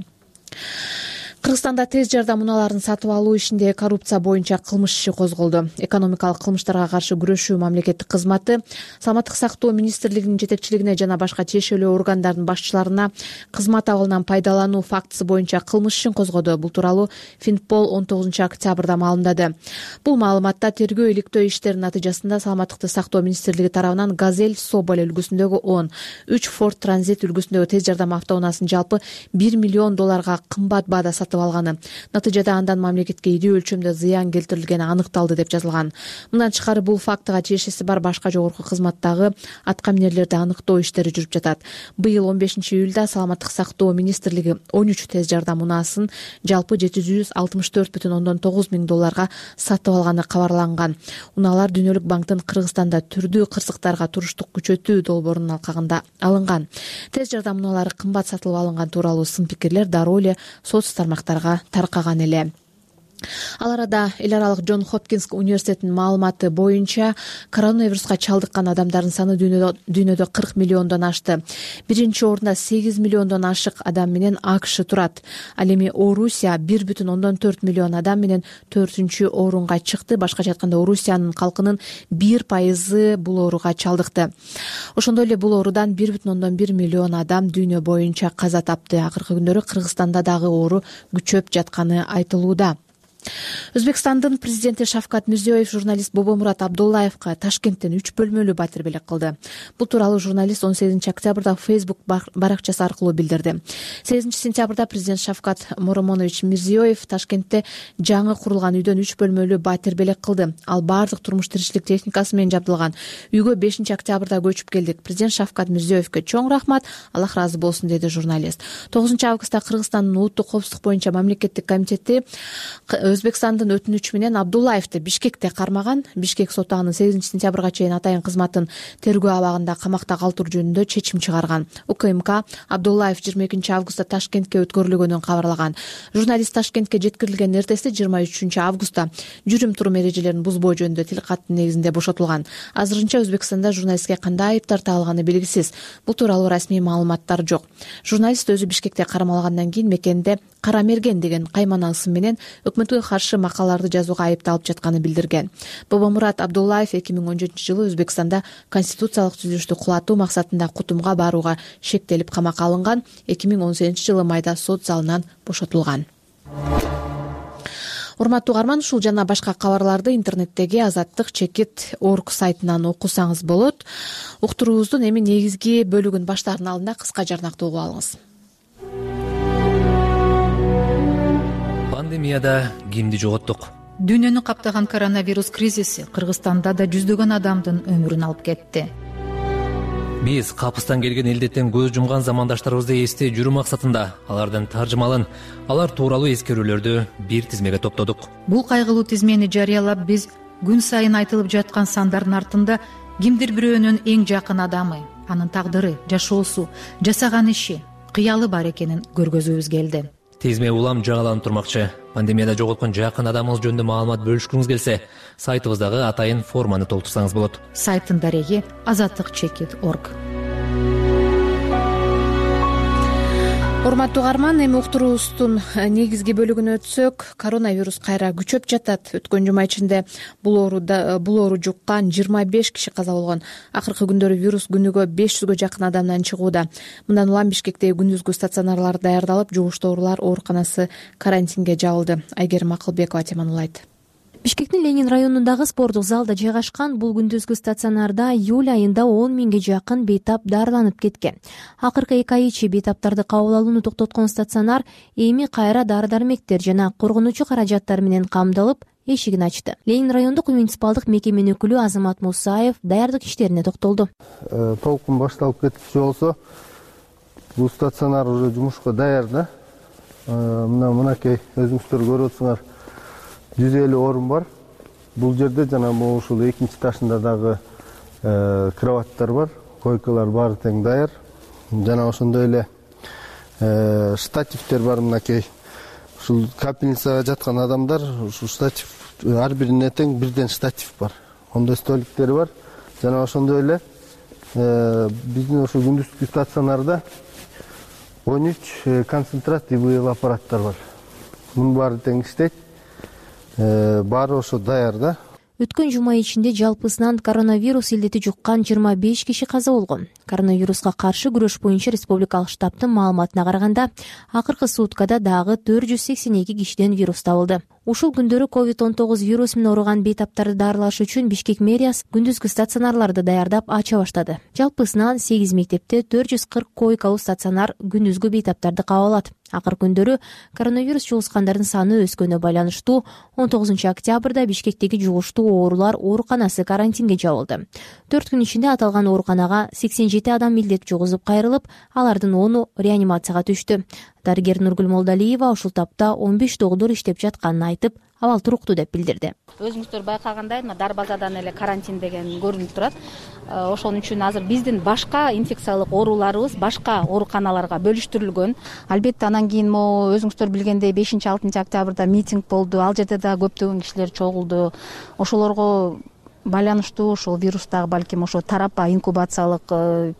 Кыргызстанда тез жардам унааларын сатып алуу ишинде коррупция боюнча кылмыш иши козголду. Экономикалык кылмыштарга каршы күрөшүү мамлекеттик кызматы Саламаттык сактоо министрлигинин жетекчилигине жана башка тиешелүү органдардын башчыларына кызмат абалынан пайдалануу фактысы боюнча кылмыш ишин козгоду. Бул тууралуу Финпол он тогузунчу октябрда маалымдады. Бул маалыматта тергөө иликтөө иштеринин натыйжасында Саламаттыкты сактоо министрлиги тарабынан Газель Соболь үлгүсүндөгү он, үч Ford Transit үлгүсүндөгү тез жардам автоунаасын жалпы бир миллион долларга кымбат баада сатып алганы. Натыйжада андан мамлекетке ийдүү өлчөмдө зыян келтирилгени аныкталды деп жазылган. Мындан тышкары бул фактыга тиешеси бар башка жогорку кызматтагы аткаминерлерди аныктоо иштери жүрүп жатат. Быйыл он бешинчи июлда Саламаттык сактоо министрлиги он үч тез жардам унаасын жалпы жети жүз алтымыш төрт бүтүн ондон тогуз миң долларга сатып алганы кабарланган. Унаалар Дүйнөлүк банктын Кыргызстанда түрдүү кырсыктарга туруштук күчөтүү долбоорунун алкагында алынган. Тез жардам унаалары кымбат сатылып алынган тууралуу сын пикирлер дароо эле соц тармактарга таркаган эле. Ал арада эл аралык Джон Хопкинс университетинин маалыматы боюнча коронавируска чалдыккан адамдардын саны дүйнөдө дүйнөдө кырк миллиондон ашты. Биринчи орунда сегиз миллиондон ашык адам менен АКШ турат. Ал эми Орусия бир бүтүн ондон төрт миллион адам менен төртүнчү орунга чыкты. Башкача айтканда Орусиянын калкынын бир пайызы бул ооруга чалдыкты. Ошондой эле бул оорудан бир бүтүн ондон бир миллион адам дүйнө боюнча каза тапты. Акыркы күндөрү Кыргызстанда дагы оору күчөп жатканы айтылууда. Өзбекстандын президенти Шавкат Мирзиёев журналист Бобомурат Абдуллаевга Ташкенттен үч бөлмөлүү батир белек кылды. Бул тууралуу журналист он сегизинчи октябрда Facebook баракчасы аркылуу билдирди. сегизинчи сентябрда президент Шавкат Моромонович Мирзиёев Ташкентте жаңы курулган үйдөн үч бөлмөлүү батир белек кылды. Ал баардык турмуш тиричилик техникасы менен жабдылган. Үйгө бешинчи октябрда көчүп келдик. Президент Шавкат Мирзиёевге чоң рахмат, Аллах разы болсун, деди журналист. тогузунчу августта Кыргызстандын улуттук коопсуздук боюнча мамлекеттик комитети Өзбекстандын өтүнүчү менен Абдуллаевди Бишкекте кармаган. Бишкек соту аны сегизинчи сентябрга чейин атайын кызматын тергөө абагында камакта калтыруу жөнүндө чечим чыгарган. УКМК Абдуллаев жыйырма экинчи августта Ташкентке өткөрүлгөнүн кабарлаган. Журналист Ташкентке жеткирилген эртеси жыйырма үчүнчү августта жүрүм турум эрежелерин бузбоо жөнүндө тил каттын негизинде бошотулган. Азырынча Өзбекстанда журналистке кандай айып тартылганы белгисиз. Бул тууралуу расмий маалыматтар жок. Журналист өзү Бишкекте кармалгандан кийин мекенде Кара Мерген деген каймана ысым менен өкмөткө каршы макалаларды жазууга айыпталып жатканы билдирген. Бобомурат Абдуллаев эки миң он жетинчи жылы Өзбекстанда конституциялык түзүлүштү кулатуу максатында Кутумга барууга шектелип камакка алынган. эки миң он сегизинчи жылы майда сот залынан бошотулган. Урматтуу угарман, ушул жана башка кабарларды интернеттеги Азаттык чекит орг сайтынан окусаңыз болот. Уктуруубуздун эми негизги бөлүгүн баштаардын алдында кыска жарнакты угуп алыңыз. Пандемияда кимди жоготтук? Дүйнөнү каптаган коронавирус кризиси Кыргызстанда да жүздөгөн адамдын өмүрүн алып кетти. Биз капыстан келген илдеттен көз жумган замандаштарыбызды эстей жүрүү максатында алардын таржымалын, алар тууралуу эскерүүлөрдү бир тизмеге топтодук. Бул кайгылуу тизмени жарыялап, биз күн сайын айтылып жаткан сандардын артында кимдир бирөөнүн эң жакын адамы, анын тагдыры, жашоосу, жасаган иши, кыялы бар экенин көргөзүүбүз келди. Тизме улам жагаланып турмакчы. Пандемияда жоготкон жакын адамыңыз жөнүндө маалымат бөлүшкүңүз келсе, сайтыбыздагы атайын форманы толтурсаңыз болот. Сайттын дареги азаттык чекит точка орг. Урматтуу угарман, эми уктуруубуздун негизги бөлүгүнө өтсөк, коронавирус кайра күчөп жатат. Өткөн жума ичинде бул ооруда бул оору жуккан жыйырма беш киши каза болгон. Акыркы күндөрү вирус күнүгө беш жүзгө жакын адамдан чыгууда. Мындан улам Бишкектеги күндүзгү стационарлар даярдалып, жугуштуу оорулар ооруканасы карантинге жабылды. Айгерим Акылбекова теманулайт. Бишкектин Ленин районундагы спорттук залда жайгашкан бул күндүзгү стационарда июль айында он миңге жакын бейтап дарыланып кеткен. Акыркы эки ай ичи бейтаптарды кабыл алууну токтоткон стационар эми кайра дары-дармектер жана коргонуучу каражаттар менен камдалып, эшигин ачты. Ленин райондук муниципалдык мекеменин өкүлү Азамат Мусаев даярдык иштерине токтолду. Толкун башталып кетчү болсо, бул стационар уже жумушка даяр да. Мына мынакей өзүңүздөр көрүп атсыңар, жүз элүү орун бар. Бул жерде жана могу ушул экинчи этажында дагы кроваттар бар, койкалар баары тең даяр. Жана ошондой эле штативтер бар, мынакей. Ушул капельницага жаткан адамдар, ушул штатив ар бирине тең бирден штатив бар. Ондой столиктери бар. Жана ошондой эле биздин ушул күндүзгү стационарда он үч концентративный аппараттар бар. мунун баары тең иштейт, баары ошо даяр да. Өткөн жума ичинде жалпысынан коронавирус илдети жуккан жыйырма беш киши каза болгон. Коронавируска каршы күрөш боюнча республикалык штабтын маалыматына караганда, акыркы суткада дагы төрт жүз сексен эки кишиден вирус табылды. Ушул күндөрү ковид он тогуз вирусу менен ооруган бейтаптарды дарылаш үчүн Бишкек мэриясы күндүзгү стационарларды даярдап ача баштады. Жалпысынан сегиз мектепте төрт жүз кырк койкалуу стационар күндүзгү бейтаптарды кабыл алат. Акыркы күндөрү коронавирус жугускандардын саны өскөнүнө байланыштуу он тогузунчу октябрда Бишкектеги жугуштуу оорулар ооруканасы карантинге жабылды. төрт күн ичинде аталган ооруканага сексен жети адам илдет жугузуп кайрылып, алардын ону реанимацияга түштү. Дарыгер Нургүл Молдалиева ушул тапта он беш доктур иштеп жатканын айтып, абал туруктуу деп билдирди. Өзүңүздөр байкагандай, мына Дарбазадан эле карантин деген көрүнүп турат. Ошон үчүн азыр биздин башка инфекциялык ооруларыбыз башка ооруканаларга бөлүштүрүлгөн. Албетте анан кийин могу өзүңүздөр билгендей бешинчи алтынчы октябрда митинг болду. Ал жерде да көптөгөн кишилер чогулду. Ошолорго байланыштуу ушул вирустагы балким ошо тарапа инкубациялык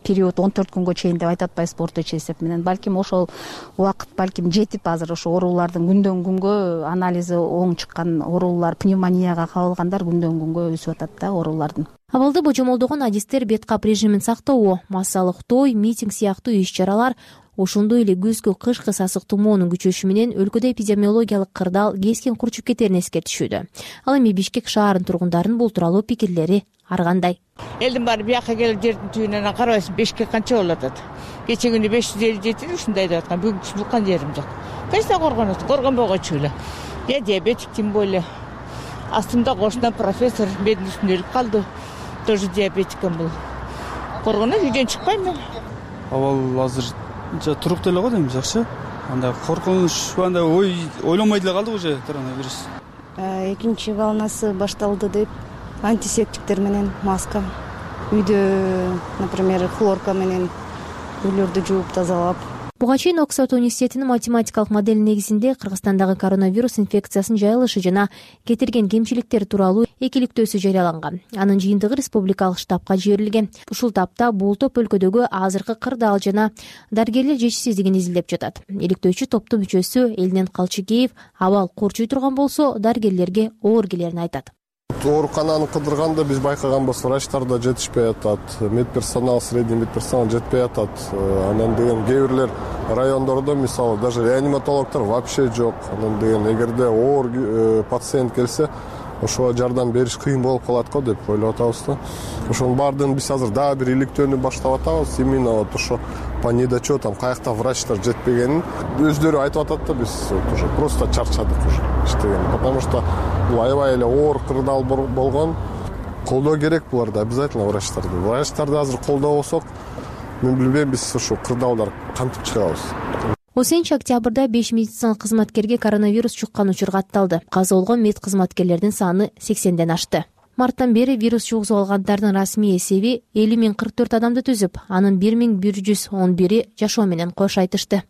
период он төрт күнгө чейин деп айтып атпайсызбы орточо эсеп менен. Балким ошол убакыт балким жетип азыр ошо оорулардын күндөн күнгө анализи оң чыккан оорулар, пневмонияга кабылгандар күндөн күнгө өсүп атат да оорулардын. Абалды божомолдогон адистер бет кап режимин сактоо, массалык той, митинг сыяктуу иш-чаралар, ошондой эле күзгү кышкы сасык тумоонун күчөшү менен өлкөдө эпидемиологиялык кырдаал кескен курчуп кетерин эскертишүүдө. Ал эми Бишкек шаарынын тургундарынын бул тууралуу пикирлери ар кандай? Элдин баары бияка келип жердин түбүнөн карабайсың, Бишкек канча болуп атат. Кече күнү беш жүз элүү жети ушундай деп аткан. Бүгүн чуккан жерим жок. Кайсы коргонот, коргонбогочу эле. Я диабетик тем более. Астымда кошунан профессор бедин үстүнө өлүп калды. Тоже диабетиком бул. Коргонот үйдөн чыкпайм мен. Абал азыр туруктуу эле го дейм, жакшы. Андай коркунуч, андай ой ойлонбой деле калдык уже коронавирус. Экинчи волнасы башталды деп антисептиктер менен маска, үйдө, например, хлорка менен үйлөрдү жууп тазалап. Буга чейин Оксфорд университетинин математикалык модели негизинде Кыргызстандагы коронавирус инфекциясынын жайылышы жана кетирген кемчиликтер тууралуу экиликтөөсү жарыяланган. Анын жыйынтыгы республикалык штабка жиберилген. Ушул тапта бул топ өлкөдөгү азыркы кырдаал жана дарыгерлер жетишсиздигин изилдеп жатат. Иликтөөчү топтун мүчөсү Элинен Калчыкеев абал курчуй турган болсо дарыгерлерге оор келерин айтат. Оорукананы кыдырганда биз байкаганбыз, врачтар да жетишпей атат, медперсонал, средний медперсонал жетпей атат. Анан деген кээ бирлер райондордо мисалы даже реаниматологдор вообще жок. Анан деген эгерде оор пациент келсе, ошого жардам бериш кыйын болуп калат го деп ойлоп атабыз да. Ошонун баардыгын биз азыр дагы бир иликтөөнү баштап атабыз. Именно вот ошо по недочетам каякта врачтар жетпегенин өздөрү айтып атат да, биз уже просто чарчадык уже иштеген. Потому что бул аябай эле оор кырдаал болгон. Колдоо керек буларды обязательно врачтарды. Врачтарды азыр колдобосок, мен билбейм биз ушу кырдаалдар кантип чыгабыз. он сегизинчи октябрда беш медициналык кызматкерге коронавирус чуккан учур катталды. Каза болгон мед кызматкерлердин саны сексенден ашты. Марттан бери вирус жугузуп алгандардын расмий эсеби элүү миң кырк төрт адамды түзүп, анын бир миң бир жүз он бири жашоо менен кош айтышты.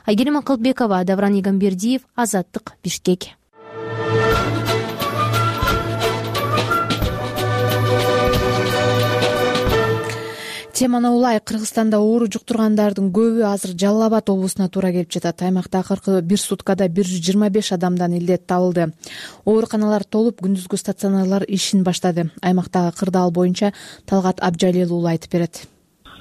Айгерим Акылбекова, Давран Игамбердиев, Азаттык, Бишкек. Теманы улай Кыргызстанда оору жуктургандардын көбү азыр Жалал Абад облусуна туура келип жатат. Аймакта акыркы бир суткада бир жүз жыйырма беш адамдан илдет табылды. Ооруканалар толуп, күндүзгү стационарлар ишин баштады. Аймактагы кырдаал боюнча Талгат Абжалил уулу айтып берет.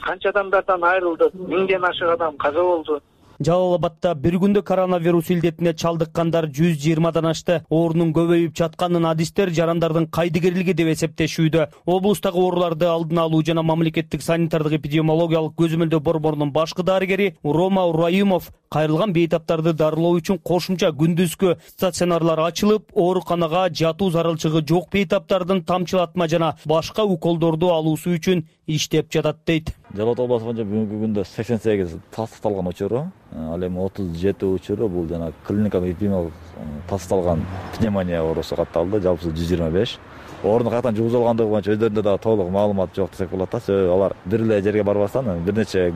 Канча адамдардан айрылды, миңден ашык адам каза болду. Жалал Абадта бир күндө коронавирус илдетине чалдыккандар жүз жыйырмадан ашты. Оорунун көбөйүп жатканын адистер жарандардын кайдыгерлиги деп эсептешүүдө. Облустагы ооруларды алдын алуу жана мамлекеттик санитардык эпидемиологиялык көзөмөлдөө борборунун башкы дарыгери Рома Урайымов кайрылган бейтаптарды дарылоо үчүн кошумча күндүзгү стационарлар ачылып, ооруканага жатуу зарылчылыгы жок бейтаптардын тамчылатма жана башка уколдорду алуусу үчүн иштеп жатат дейт. Жалал Абад обласу боюнча бүгүнкү күндө сексен сегиз тастыкталган учуру, ал эми отуз жети учуру бул жана клиникалык эпидемиологиялык тасталган пневмония оорусу катталды. Жалпысы жүз жыйырма беш. Оорунун каяктан жугузуп алгандыгы боюнча өздөрүндө дагы толук маалымат жок десек болот да. Себеби алар бир эле жерге барбастан бир нече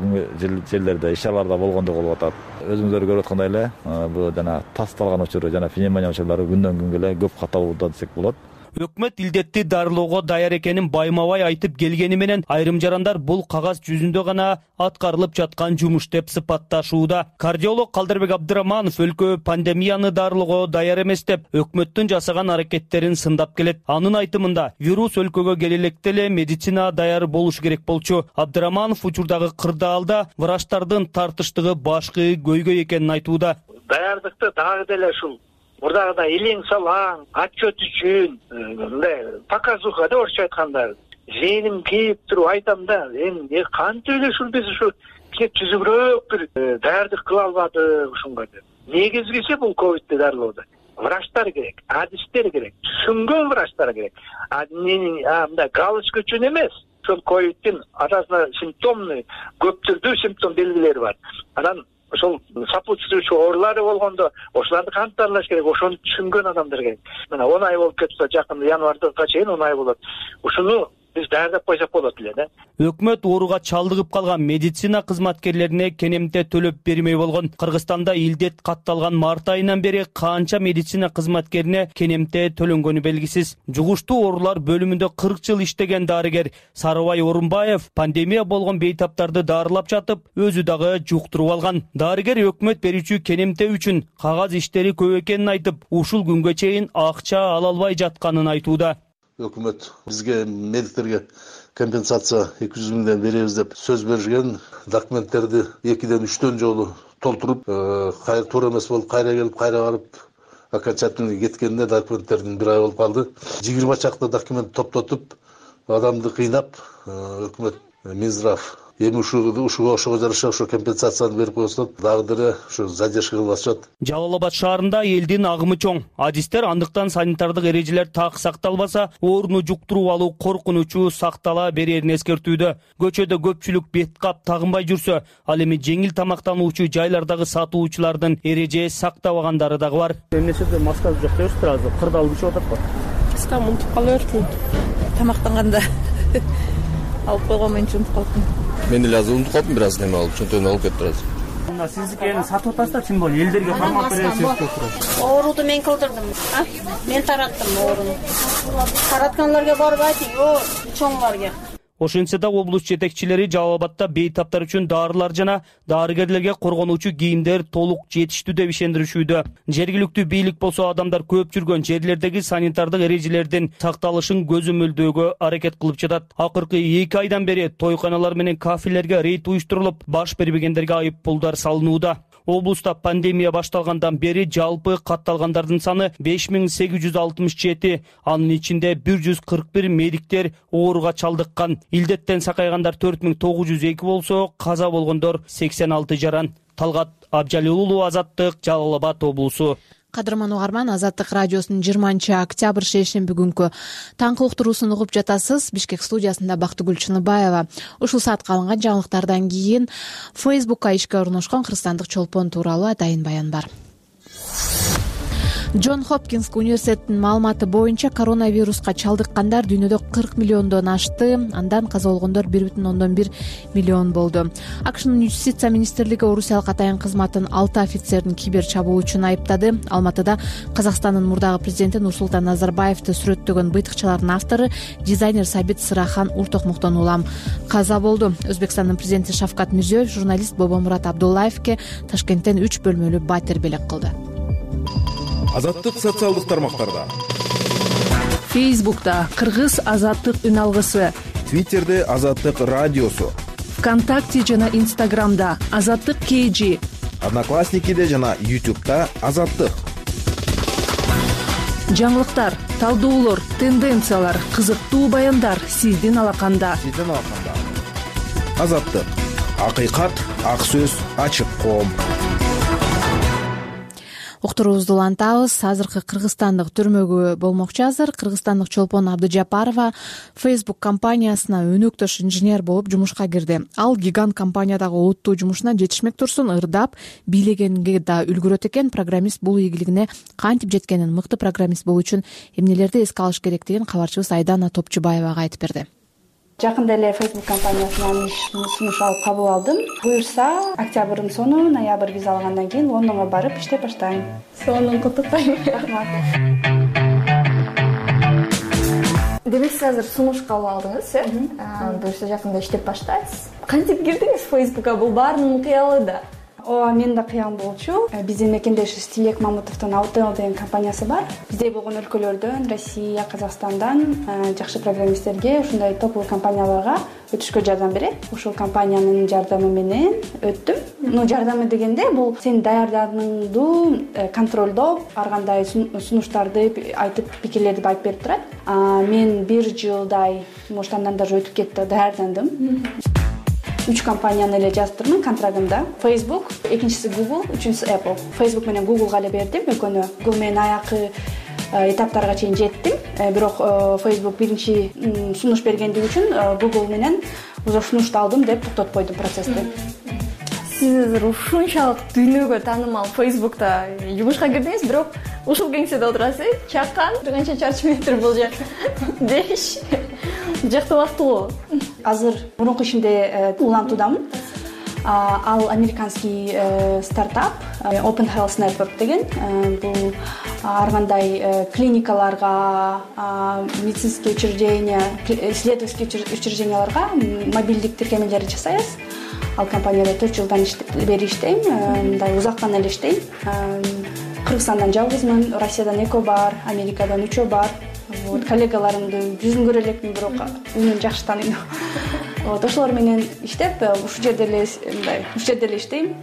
жерлерде иш-чараларда болгондугу болуп атат. Өзүңүздөр көрүп аткандай эле бул жана тасталган учуру жана пневмония учурлары күндөн күнгө эле көп катталууда десек болот. Өкмөт илдетти дарылоого даяр экенин байма-бай айтып келгени менен айрым жарандар бул кагаз жүзүндө гана аткарылып жаткан жумуш деп сыпатташууда. Кардиолог Калдырбек Абдыраманов өлкө пандемияны дарылоого даяр эмес деп өкмөттүн жасаган аракеттерин сындап келет. Анын айтымында вирус өлкөгө келе электе эле медицина даяр болуш керек болчу. Абдыраманов учурдагы кырдаалда врачтардын тартыштыгы башкы көйгөй экенин айтууда. Даярдыкты дагы деле ушул мурдагыдай илең салаң отчет үчүн мындай показуха деп орусча айтканда зээним кейип туруп айтам да, эми кантип эле ушул биз ушу кеп түзүгүрөөк бир даярдык кыла албадык ушунга деп. Негизгиси бул ковидти дарылоодо врачтар керек, адистер керек, түшүнгөн врачтар керек. А мындай галочка үчүн эмес. Ошол ковидтин арасында симптомный көп түрдүү симптом белгилери бар. Анан ошол сопутствующий оорулары болгондо ошолорду кантип дарылаш керек, ошону түшүнгөн адамдар керек. Мына он ай болуп кетсе, жакын январга чейин он ай болот. Ушуну биз даярдап койсок болот эле да. Өкмөт ооруга чалдыгып калган медицина кызматкерлерине кенемте төлөп бермей болгон. Кыргызстанда илдет катталган март айынан бери канча медицина кызматкерине кенемте төлөнгөнү белгисиз. Жугуштуу оорулар бөлүмүндө кырк жыл иштеген дарыгер Сарыбай Орунбаев пандемия болгон бейтаптарды дарылап жатып, өзү дагы жуктуруп алган. Дарыгер өкмөт берүүчү кенемте үчүн кагаз иштери көп экенин айтып, ушул күнгө чейин акча ала албай жатканын айтууда. Өкмөт бизге медиктерге компенсация эки жүз миңден беребиз деп сөз беришкен. Документтерди экиден үчтөн жолу толтуруп, кайра туура эмес болуп, кайра келип, кайра барып, окончательный кеткенде документтердин бир ай болуп калды. жыйырма чакты документ топтотуп, адамды кыйнап, өкмөт Минздрав эми ушуга ошого жараша ошо компенсацияны берип койсо дагы деле ушу задержка кылып атышат. Жалал Абад шаарында элдин агымы чоң. Адистер андыктан санитардык эрежелер так сакталбаса, ооруну жуктуруп алуу коркунучу сактала берерин эскертүүдө. Көчөдө көпчүлүк бет кап тагынбай жүрсө, ал эми жеңил тамактануучу жайлардагы сатуучулардын эреже сактабагандары дагы бар. Эмнесиде маска жок депсиздер азыр, кырдаал күчүп атат. Маска унутуп кала бердим. Тамактанганда алып койгон мен унутуп калдым. Мен деле азыр унутуп калдым, бир аз неме алып, чөнтөгүн алып кетип азыр. Мына сиздикени сатып атасыздар, чын болду элдерге кармап бересиз. Ооруду мен кылдырдым. Мен тараттым ооруну. Таратканларга барып айтып, о, чоңларга. Ошентсе да облус жетекчилери Жалал Абадда бейтаптар үчүн дарылар жана дарыгерлерге коргонуучу кийимдер толук жетиштүү деп ишендиришүүдө. Жергиликтүү бийлик болсо адамдар көп жүргөн жерлердеги санитардык эрежелердин сакталышын көзөмөлдөөгө аракет кылып жатат. Акыркы эки айдан бери тойканалар менен кафелерге рейд уюштурулуп, баш бербегендерге айып пулдар салынууда. Облуста пандемия башталгандан бери жалпы катталгандардын саны беш миң сегиз жүз алтымыш жети, анын ичинде бир жүз кырк бир медиктер ооруга чалдыккан. Илдеттен сакайгандар төрт миң тогуз жүз эки болсо, каза болгондор сексен алты жаран. Талгат Абжалилуулу, Азаттык, Жалал Абад облусу. Кадырман угарман, Азаттык радиосунун жыйырманчы октябрь шейшемби күнкү таңкы уктуруусун угуп жатасыз. Бишкек студиясында Бактыгүл Чыныбаева. Ушул саатка алынган жаңылыктардан кийин Фейсбукка ишке орношкон кыргызстандык чолпон тууралуу атайын баян бар. Джон Хопкинс университетинин маалыматы боюнча коронавируска чалдыккандар дүйнөдө кырк миллиондон ашты, андан каза болгондор бир бүтүн ондон бир миллион болду. АКШнын юстиция министрлиги орусиялык атайын кызматтын алты офицерин кибер чабуу үчүн айыптады. Алматыда Казакстандын мурдагы президенти Нурсултан Назарбаевди сүрөттөгөн быйтыкчалардын автору дизайнер Сабит Сырахан Уртокмуктон улам каза болду. Өзбекстандын президенти Шавкат Мирзиёев журналист Бобомурат Абдуллаевке Ташкенттен үч бөлмөлүү батир белек кылды. Азаттык социалдык тармактарда. Фейсбукта Кыргыз Азаттык үн алгысы. Твиттерде Азаттык радиосу. ВКонтакте жана Инстаграмда Азаттык кей жи. Одноклассникиде жана Ютубта Азаттык. Жаңылыктар, талдоолор, тенденциялар, кызыктуу баяндар сиздин алаканда. Сиздин алаканда. Азаттык. Акыйкат, ак сөз, ачык коом. Уктуруубузду улантабыз. Азыркы кыргызстандык түрмөгө болмокчу азыр кыргызстандык чолпон Абдыжапарова Facebook компаниясына өнөктөш инженер болуп жумушка кирди. Ал гигант компаниядагы олуттуу жумушуна жетишмек турсун ырдап, бийлегенге да үлгүрөт экен. Программист бул ийгилигине кантип жеткенин, мыкты программист болуу үчүн эмнелерди эске алыш керектигин кабарчыбыз Айдана Топчубаевага айтып берди. Жакында эле Facebook компаниясынан иш сунуш алып кабыл алдым. Буюрса, октябрдын сону, ноябрь виза алгандан кийин Лондонго барып иштеп баштайм. Сонун куттуктайм. Рахмат. демек сиз азыр сунуш кабыл алдыңыз, э буюрса жакында иштеп баштайсыз. Кантип кирдиңиз Facebook'ка? Бул баарынын кыялы да. Ооба, менин да кыялым болчу. Биздин мекендешибиз Тилек Мамутовдун Аутел деген компаниясы бар. Биздей болгон өлкөлөрдөн, Россия, Казакстандан жакшы программисттерге, ушундай топовый компанияларга өтүшкө жардам берет. Ушул компаниянын жардамы менен өттүм. Ну, жардамы дегенде бул сени даярданыңды контролдоп, ар кандай сунуштарды айтып, пикирлерди айтып берип турат. Мен бир жылдай, может, андан даже өтүп кетти, даярдандым. Үч компанияны эле жаздырмын контрагымда. Facebook, экинчиси Google, үчүнчүсү Apple. Facebook менен Google'га эле бердим экөөнү. Google менен аякы этаптарга чейин жеттим. Бирок Facebook биринчи сунуш бергендиги үчүн Google менен уже сунушту алдым деп токтотуп койдум процессти. Сиз азыр ушунчалык дүйнөгө таанымал Facebook'та жумушка кирдиңиз, бирок ушул кеңседе отурасыз, чакан, канча чарчы метр бул жер деш. Жактыбактуу. Азыр мурунку ишимде улантуудамын. Ал американский стартап Open Health Network деген. Бул ар кандай клиникаларга, медицинский учреждения, исследовательский учрежденияларга мобилдик тиркемелерди жасайбыз. Ал компанияда төрт жылдан бери иштейм, мындай узактан эле иштейм. Кыргызстандан жалгызмын, Россиядан экөө бар, Америкадан үчөө бар. Вот, коллегаларымды жүзүн көрө элекмин, бирок үнүн жакшы тааныйм. Вот, ошолор менен иштеп, ушул жерде эле мындай, ушул жерде эле иштейм.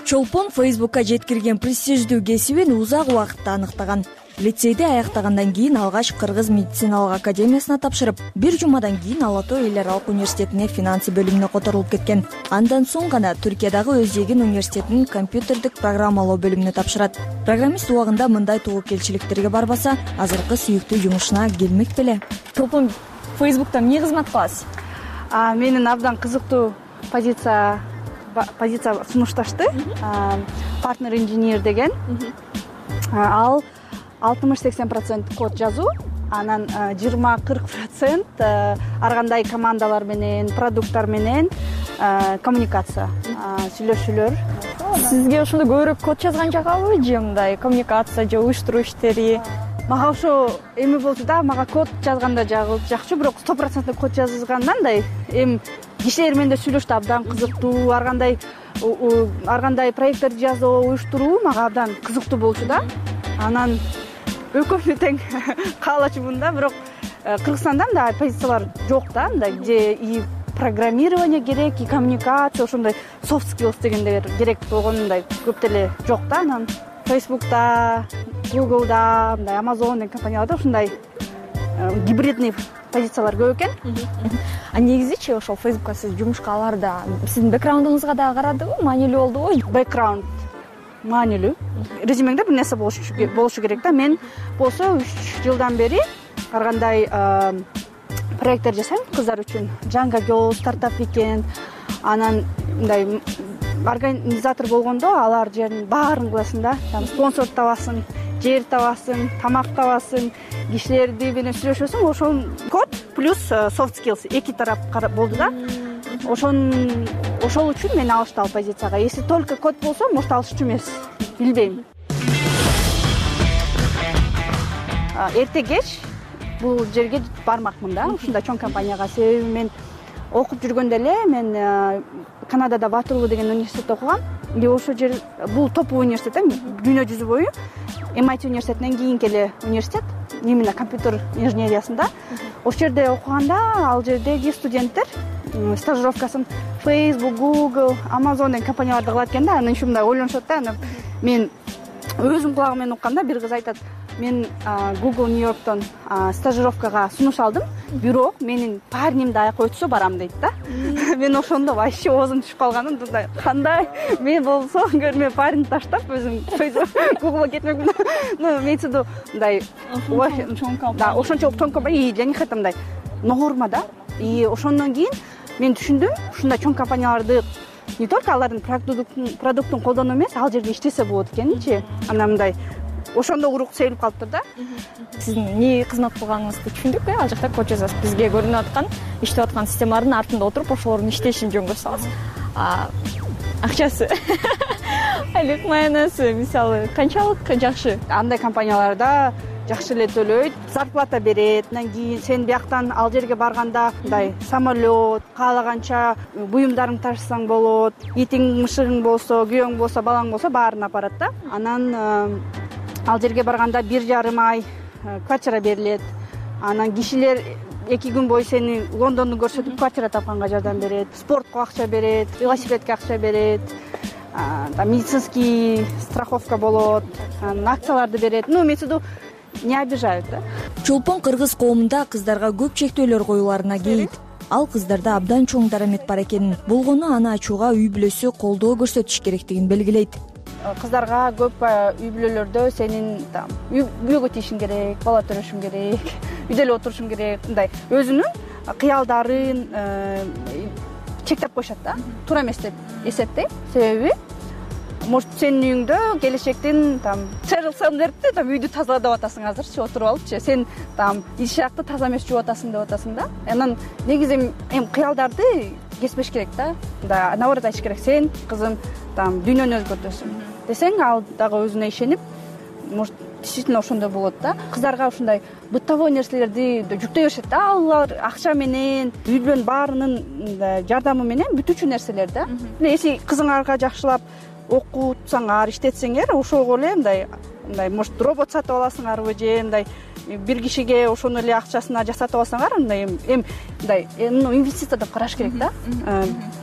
Чолпон Facebook'ка жеткирген престиждүү кесибин узак убакытта аныктаган. Лицейди аяктагандан кийин алгач Кыргыз медициналык академиясына тапшырып, бир жумадан кийин Ала Тоо эл аралык университетине финансы бөлүмүнө которулуп кеткен. Андан соң гана Түркиядагы Өзегин университетинин компьютердик программалоо бөлүмүнө тапшырат. Программист убагында мындай тобокелчиликтерге барбаса, азыркы сүйүктүү жумушуна келмек беле. Чолпон, Facebook'та эмне кызмат кыласыз? А менин абдан кызыктуу позиция позиция сунушташты. Партнер инженер деген. Ал алтымыш-сексен процент код жазуу, анан жыйырма-кырк процент ар кандай командалар менен, продукттар менен коммуникация, сүйлөшүүлөр. Сизге ошондо көбүрөөк код жазган жагабы же мындай коммуникация же уюштуруу иштери? Мага ошо эми болчу да, мага код жазганда жакчу, бирок сто процент код жазгандан да эми кишилер менен да сүйлөштү абдан кызыктуу, ар кандай ар кандай проекттерди жазуу, уюштуруу мага абдан кызыктуу болчу да. Анан экөөсү тең каалачумун да, бирок Кыргызстанда мындай позициялар жок да, мындай где и программирование керек, и коммуникация, ошондой soft skills дегендер керек болгондой көп деле жок да. Анан Facebook'та, Google'да, мындай Amazon деген компанияларда ушундай гибридный позициялар көп экен. А негизичи ошол Facebook'ка сиз жумушка аларда сиздин бэкграундуңузга да карадыбы, маанилүү болдубу? Бэкграунд маанилүү. Резюмеңде бир нерсе болушу керек да. Мен болсо үч жылдан бери ар кандай проекттер жасайм кыздар үчүн. Жаңга Girl, Startup Weekend, анан мындай организатор болгондо алар жердин баарын кыласың да. Спонсор табасың, жер табасың, тамак табасың, кишилерди менен сүйлөшөсүң. Ошол код плюс soft skills эки тарап болду да. Ошон ошол үчүн мени алышты ал позицияга. Если только код болсо, может алышчу эмес, билбейм. Эрте кеч бул жерге бармакмын да, ушундай чоң компанияга. Себеби мен окуп жүргөндө эле мен Канадада Ватерлоо деген университетте окугам. И ошол жер бул топовый университет, дүйнө жүзү бою эм ай ти университетинен кийинки эле университет, именно компьютер инженериясында. Ошол жерде окуганда ал жердеги студенттер стажировкасын Facebook, Google, Amazon деген компанияларда кылат экен да. Анан ушундай ойлонушат да. Анан мен өзүм кулагым менен укканда бир кыз айтат: мен Google Нью-Йорктон стажировкага сунуш алдым, бирок менин парнимди аяка өтсө барам дейт да. Мен ошондо вообще оозум түшүп калганын, мындай кандай мен болсо көрмө парнимди таштап өзүм Googleга кетмекмин. Ну, мейсиду мындай да, ошончолук чоң компания, я не хочу мындай норма да. И ошондон кийин мен түшүндүм, ушундай чоң компанияларды не только алардын продуктун колдонуу эмес, ал жерде иштесе болот экенинчи. Анан мындай ошондо урук сейилип калыптыр да. Сиздин эмне кызмат кылганыңызды түшүндүк. Ал жакта код жазасыз. Бизге көрүнүп аткан, иштеп аткан системалардын артында отуруп ошолордун иштешин жөнгө саласыз. Акчасы, айлык маянасы мисалы канчалык жакшы? Андай компанияларда жакшы эле төлөйт, зарплата берет. Андан кийин сен бияктан ал жерге барганда мындай самолет, каалаганча буюмдарыңды ташысаң болот, итиң, мышыгың болсо, күйөөң болсо, балаң болсо баарын апарат да. Анан ал жерге барганда бир жарым ай квартира берилет. Анан кишилер эки күн бою сени Лондонду көрсөтүп квартира тапканга жардам берет, спортко акча берет, велосипедке акча берет, медицинский страховка болот, акцияларды берет. Ну, имеется в виду, не обижают, да. Чолпон кыргыз коомунда кыздарга көп чектөөлөр коюларына кейит. Ал кыздарда абдан чоң дарамет бар экенин, болгону аны ачууга үй бүлөсү колдоо көрсөтүш керектигин белгилейт. Кыздарга көп үй бүлөлөрдө сенин үйгө тийишиң керек, бала төрөшүң керек, үйдө эле отурушуң керек, мындай өзүнүн кыялдарын чектеп коюшат да. Туура эмес деп эсептейм. Себеби может сенин үйүңдө келечектен там Sheryl Sandberg'ти там үйдү тазала деп атасың азырчы отуруп алыпчы. Сен там ишакты таза эмес жууп атасың деп атасың да. Анан негизи эми кыялдарды кеспеш керек да. Да, наоборот айтыш керек. Сен кызым там дүйнөнү өзгөртөсүң десең, ал дагы өзүнө ишенип, может действительно ошондой болот да. Кыздарга ушундай бытовой нерселерди жүктөй беришет да. Алар акча менен, үй бүлөнүн баарынын жардамы менен бүтүүчү нерселер да. Эси кызыңарга жакшылап окутсаңар, иштетсеңер, ошого эле мындай мындай может робот сатып аласыңарбы же мындай бир кишиге ошону эле акчасына жасатып алсаңар, мындай эми мындай инвестиция деп караш керек да.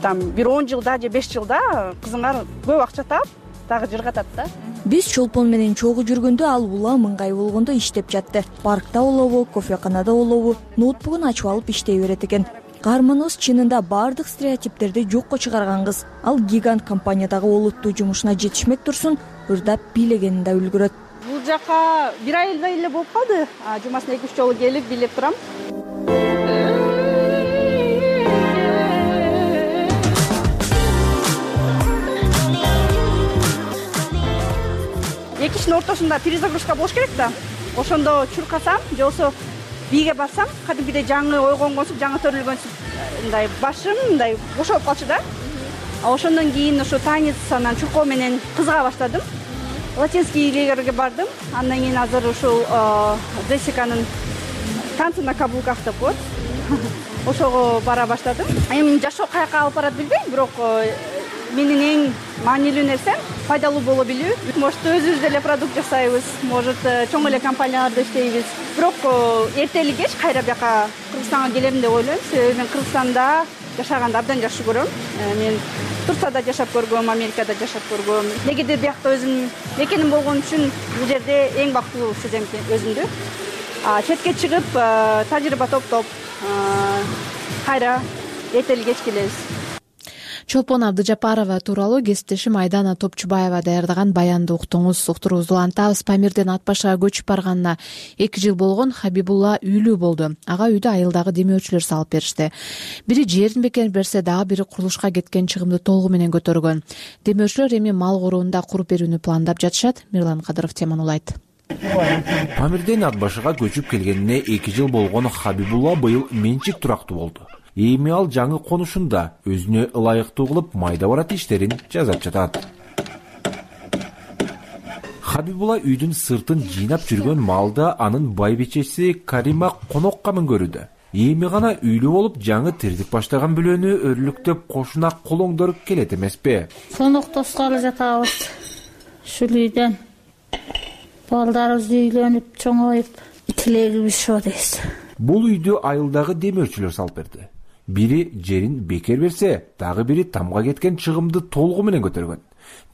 Там бир он жылда же беш жылда кызыңар көп акча таап, дагы жыргатат да. Биз Чолпон менен чогуу жүргөндө ал улам ыңгай болгондо иштеп жатты. Паркта болобу, кофеканада болобу, ноутбугун ачып алып иштей берет экен. Каарманыбыз чынында баардык стереотиптерди жокко чыгарган кыз. Ал гигант компаниядагы олуттуу жумушуна жетишмек турсун, ырдап бийлегенин да үлгүрөт. Бул жака бир айдай эле болуп калды. Жумасына эки үч жолу келип бийлеп турам. Эки иштин ортосунда перезагрузка болуш керек да. Ошондо чуркасам, же болбосо бийге барсам, кадимгидей жаңы ойгонгонсуп, жаңы төрөлгөнсүп мындай башым мындай бошолуп калчу да. Ошондон кийин ошо танец анан чуркоо менен кызыга баштадым. Латинский лигерге бардым. Андан кийин азыр ушул Джессиканын танцы на каблуках деп коет. Ошого бара баштадым. Эми жашоо каяка алып барат билбейм, бирок менин эң маанилүү нерсем пайдалуу боло билүү. Может өзүбүз деле продукт жасайбыз, может чоң эле компанияларда иштейбиз. Бирок эрте или кеч кайра бияка Кыргызстанга келерим деп ойлойм. Себеби мен Кыргызстанда жашаганды абдан жакшы көрөм. Мен Турцияда жашап көргөм, Америкада жашап көргөм. Негедир биякта өзүм мекеним болгон үчүн бул жерде эң бактылуу сезем өзүмдү. Четке чыгып, тажрыйба топтоп, кайра эрте или кеч келебиз. Чолпон Абдыжапарова тууралуу кесиптешим Айдана Топчубаева даярдаган баянды уктуңуз. Уктуруубузду улантабыз. Памирден Ат башыга көчүп барганына эки жыл болгон Хабибулла үйлүү болду. Ага үйдө айылдагы демөөрчүлөр салып беришти. Бири жерин бекер берсе, дагы бири курулушка кеткен чыгымды толугу менен көтөргөн. Демөөрчүлөр эми мал короонда куруп берүүнү пландап жатышат. Мирлан Кадыров теманы улайт. Памирден Ат башыга көчүп келгенине эки жыл болгон Хабибулла быйыл менчик турактуу болду. Эми ал жаңы конушунда өзүнө ылайыктуу кылып майда барат иштерин жасап жатат. Хабибулла үйдүн сыртын жыйнап жүргөн малда анын байбичеси Карима конокко мөңгөрүүдө. Эми гана үйлүү болуп жаңы тирдик баштаган бүлөнү өрлүктөп кошуна колоңдоруп келет эмеспи? Коноктоскалы жатабыз. Ушул үйдөн балдарыбыз үйлөнүп, чоңоюп, тилегибиз ошо дейбиз. Бул үйдү айылдагы демөөрчүлөр салып берди. Бири жерин бекер берсе, дагы бири тамга кеткен чыгымды толугу менен көтөргөн.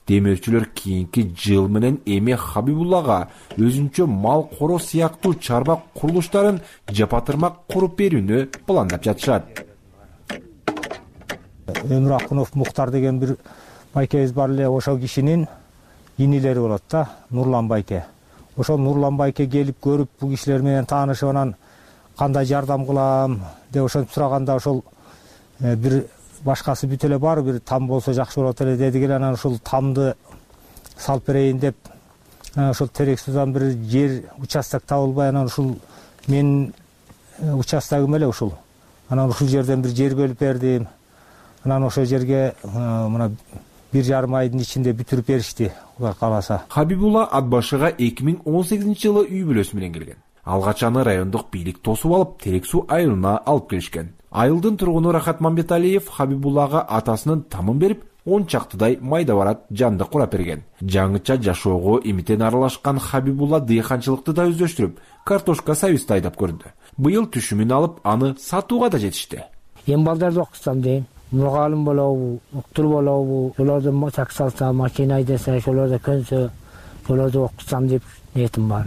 Демөөрчүлөр кийинки жыл менен эми Хабибуллага өзүнчө мал коро сыяктуу чарба курулуштарын жапатырмак куруп берүүнү пландап жатышат. Өмүр Акунов Муктар деген бир байкебиз бар эле, ошол кишинин инилери болот да, Нурлан байке. Ошол Нурлан байке келип көрүп, бул кишилер менен таанышып, анан кандай жардам кылам деп ошентип сураганда, ошол бир башкасы бүт эле бар, бир там болсо жакшы болот эле дедик эле. Анан ошол тамды салып берейин деп, ошол терек судан бир жер участок табылбай, анан ушул менин участогум эле ушул. Анан ушул жерден бир жер бөлүп бердим. Анан ошол жерге мына бир жарым айдын ичинде бүтүрүп беришти улар кааласа. Хабибулла Атбашыга эки миң он сегизинчи жылы үй бүлөсү менен келген. Алгач аны райондук бийлик тосуп алып, Терек суу айылына алып келишкен. Айылдын тургуну Рахат Мамбеталиев Хабибуллага атасынын тамын берип, он чактыдай майда барат жанды курап берген. Жаңыча жашоого имитен аралашкан Хабибулла дыйканчылыкты да өздөштүрүп, картошка сабизди айдап көрдү. Быйыл түшүмүн алып, аны сатууга да жетишти. Эми балдарды окутсам дейм. Мугалим болобу, уктур болобу, ошолордон чак салса, машина айдаса, ошолордо көнсө, ошолорду окутсам деп ниетим бар.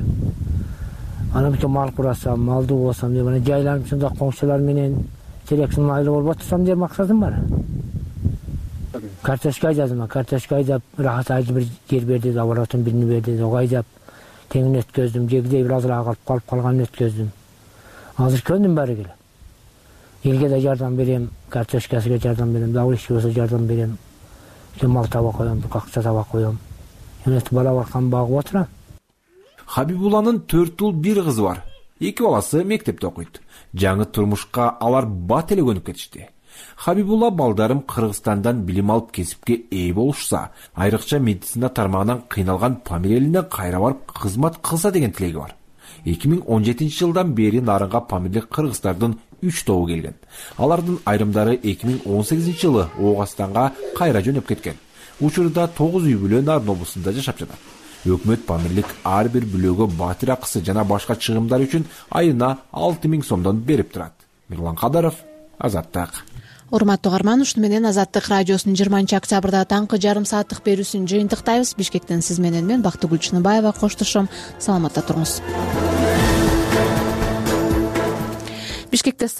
Анан бутун мал курасам, малдуу болсам деп, анан жайланып ушундай коңшулар менен Теректин айылы болуп отурсам деп максатым бар. Картошка айдадым, картошка айдап, Рахат айыл бир жер берди, оборотун биrini берди, ого айдап, теңин өткөздүм, жегидей бир азыраак калып калып калганын өткөздүм. Азыр көндүм баары келе. Элге да жардам берем, картошкасына жардам берем, дагы иш болсо жардам берем. Мал таба коем, акча таба коем. Эмес бала баркан багып отурам. Хабибулланын төрт уул бир кызы бар. Эки баласы мектепте окуйт. Жаңы турмушка алар бат эле көнүп кетишти. Хабибулла балдарым Кыргызстандан билим алып кесипке ээ болушса, айрыкча медицина тармагынан кыйналган Памир элине кайра барып кызмат кылса деген тилеги бар. эки миң он жетинчи жылдан бери Нарынга памирлик кыргыздардын үч тобу келген. Алардын айрымдары эки миң он сегизинчи жылы Оогастанга кайра жөнөп кеткен. Учурда тогуз үй бүлө Нарын облусунда жашап жатат. Өкмөт памирлик ар бир бүлөгө батир акысы жана башка чыгымдар үчүн айына алты миң сомдон берип турат. Мирлан Кадаров, Азаттык. Урматтуу угарман, ушуну менен Азаттык радиосунун жыйырманчы октябрда таңкы жарым сааттык берүүсүн жыйынтыктайбыз. Бишкектен сиз менен мен Бактыгүл Чыныбаева коштошом. Саламатта туруңуз. Бишкекте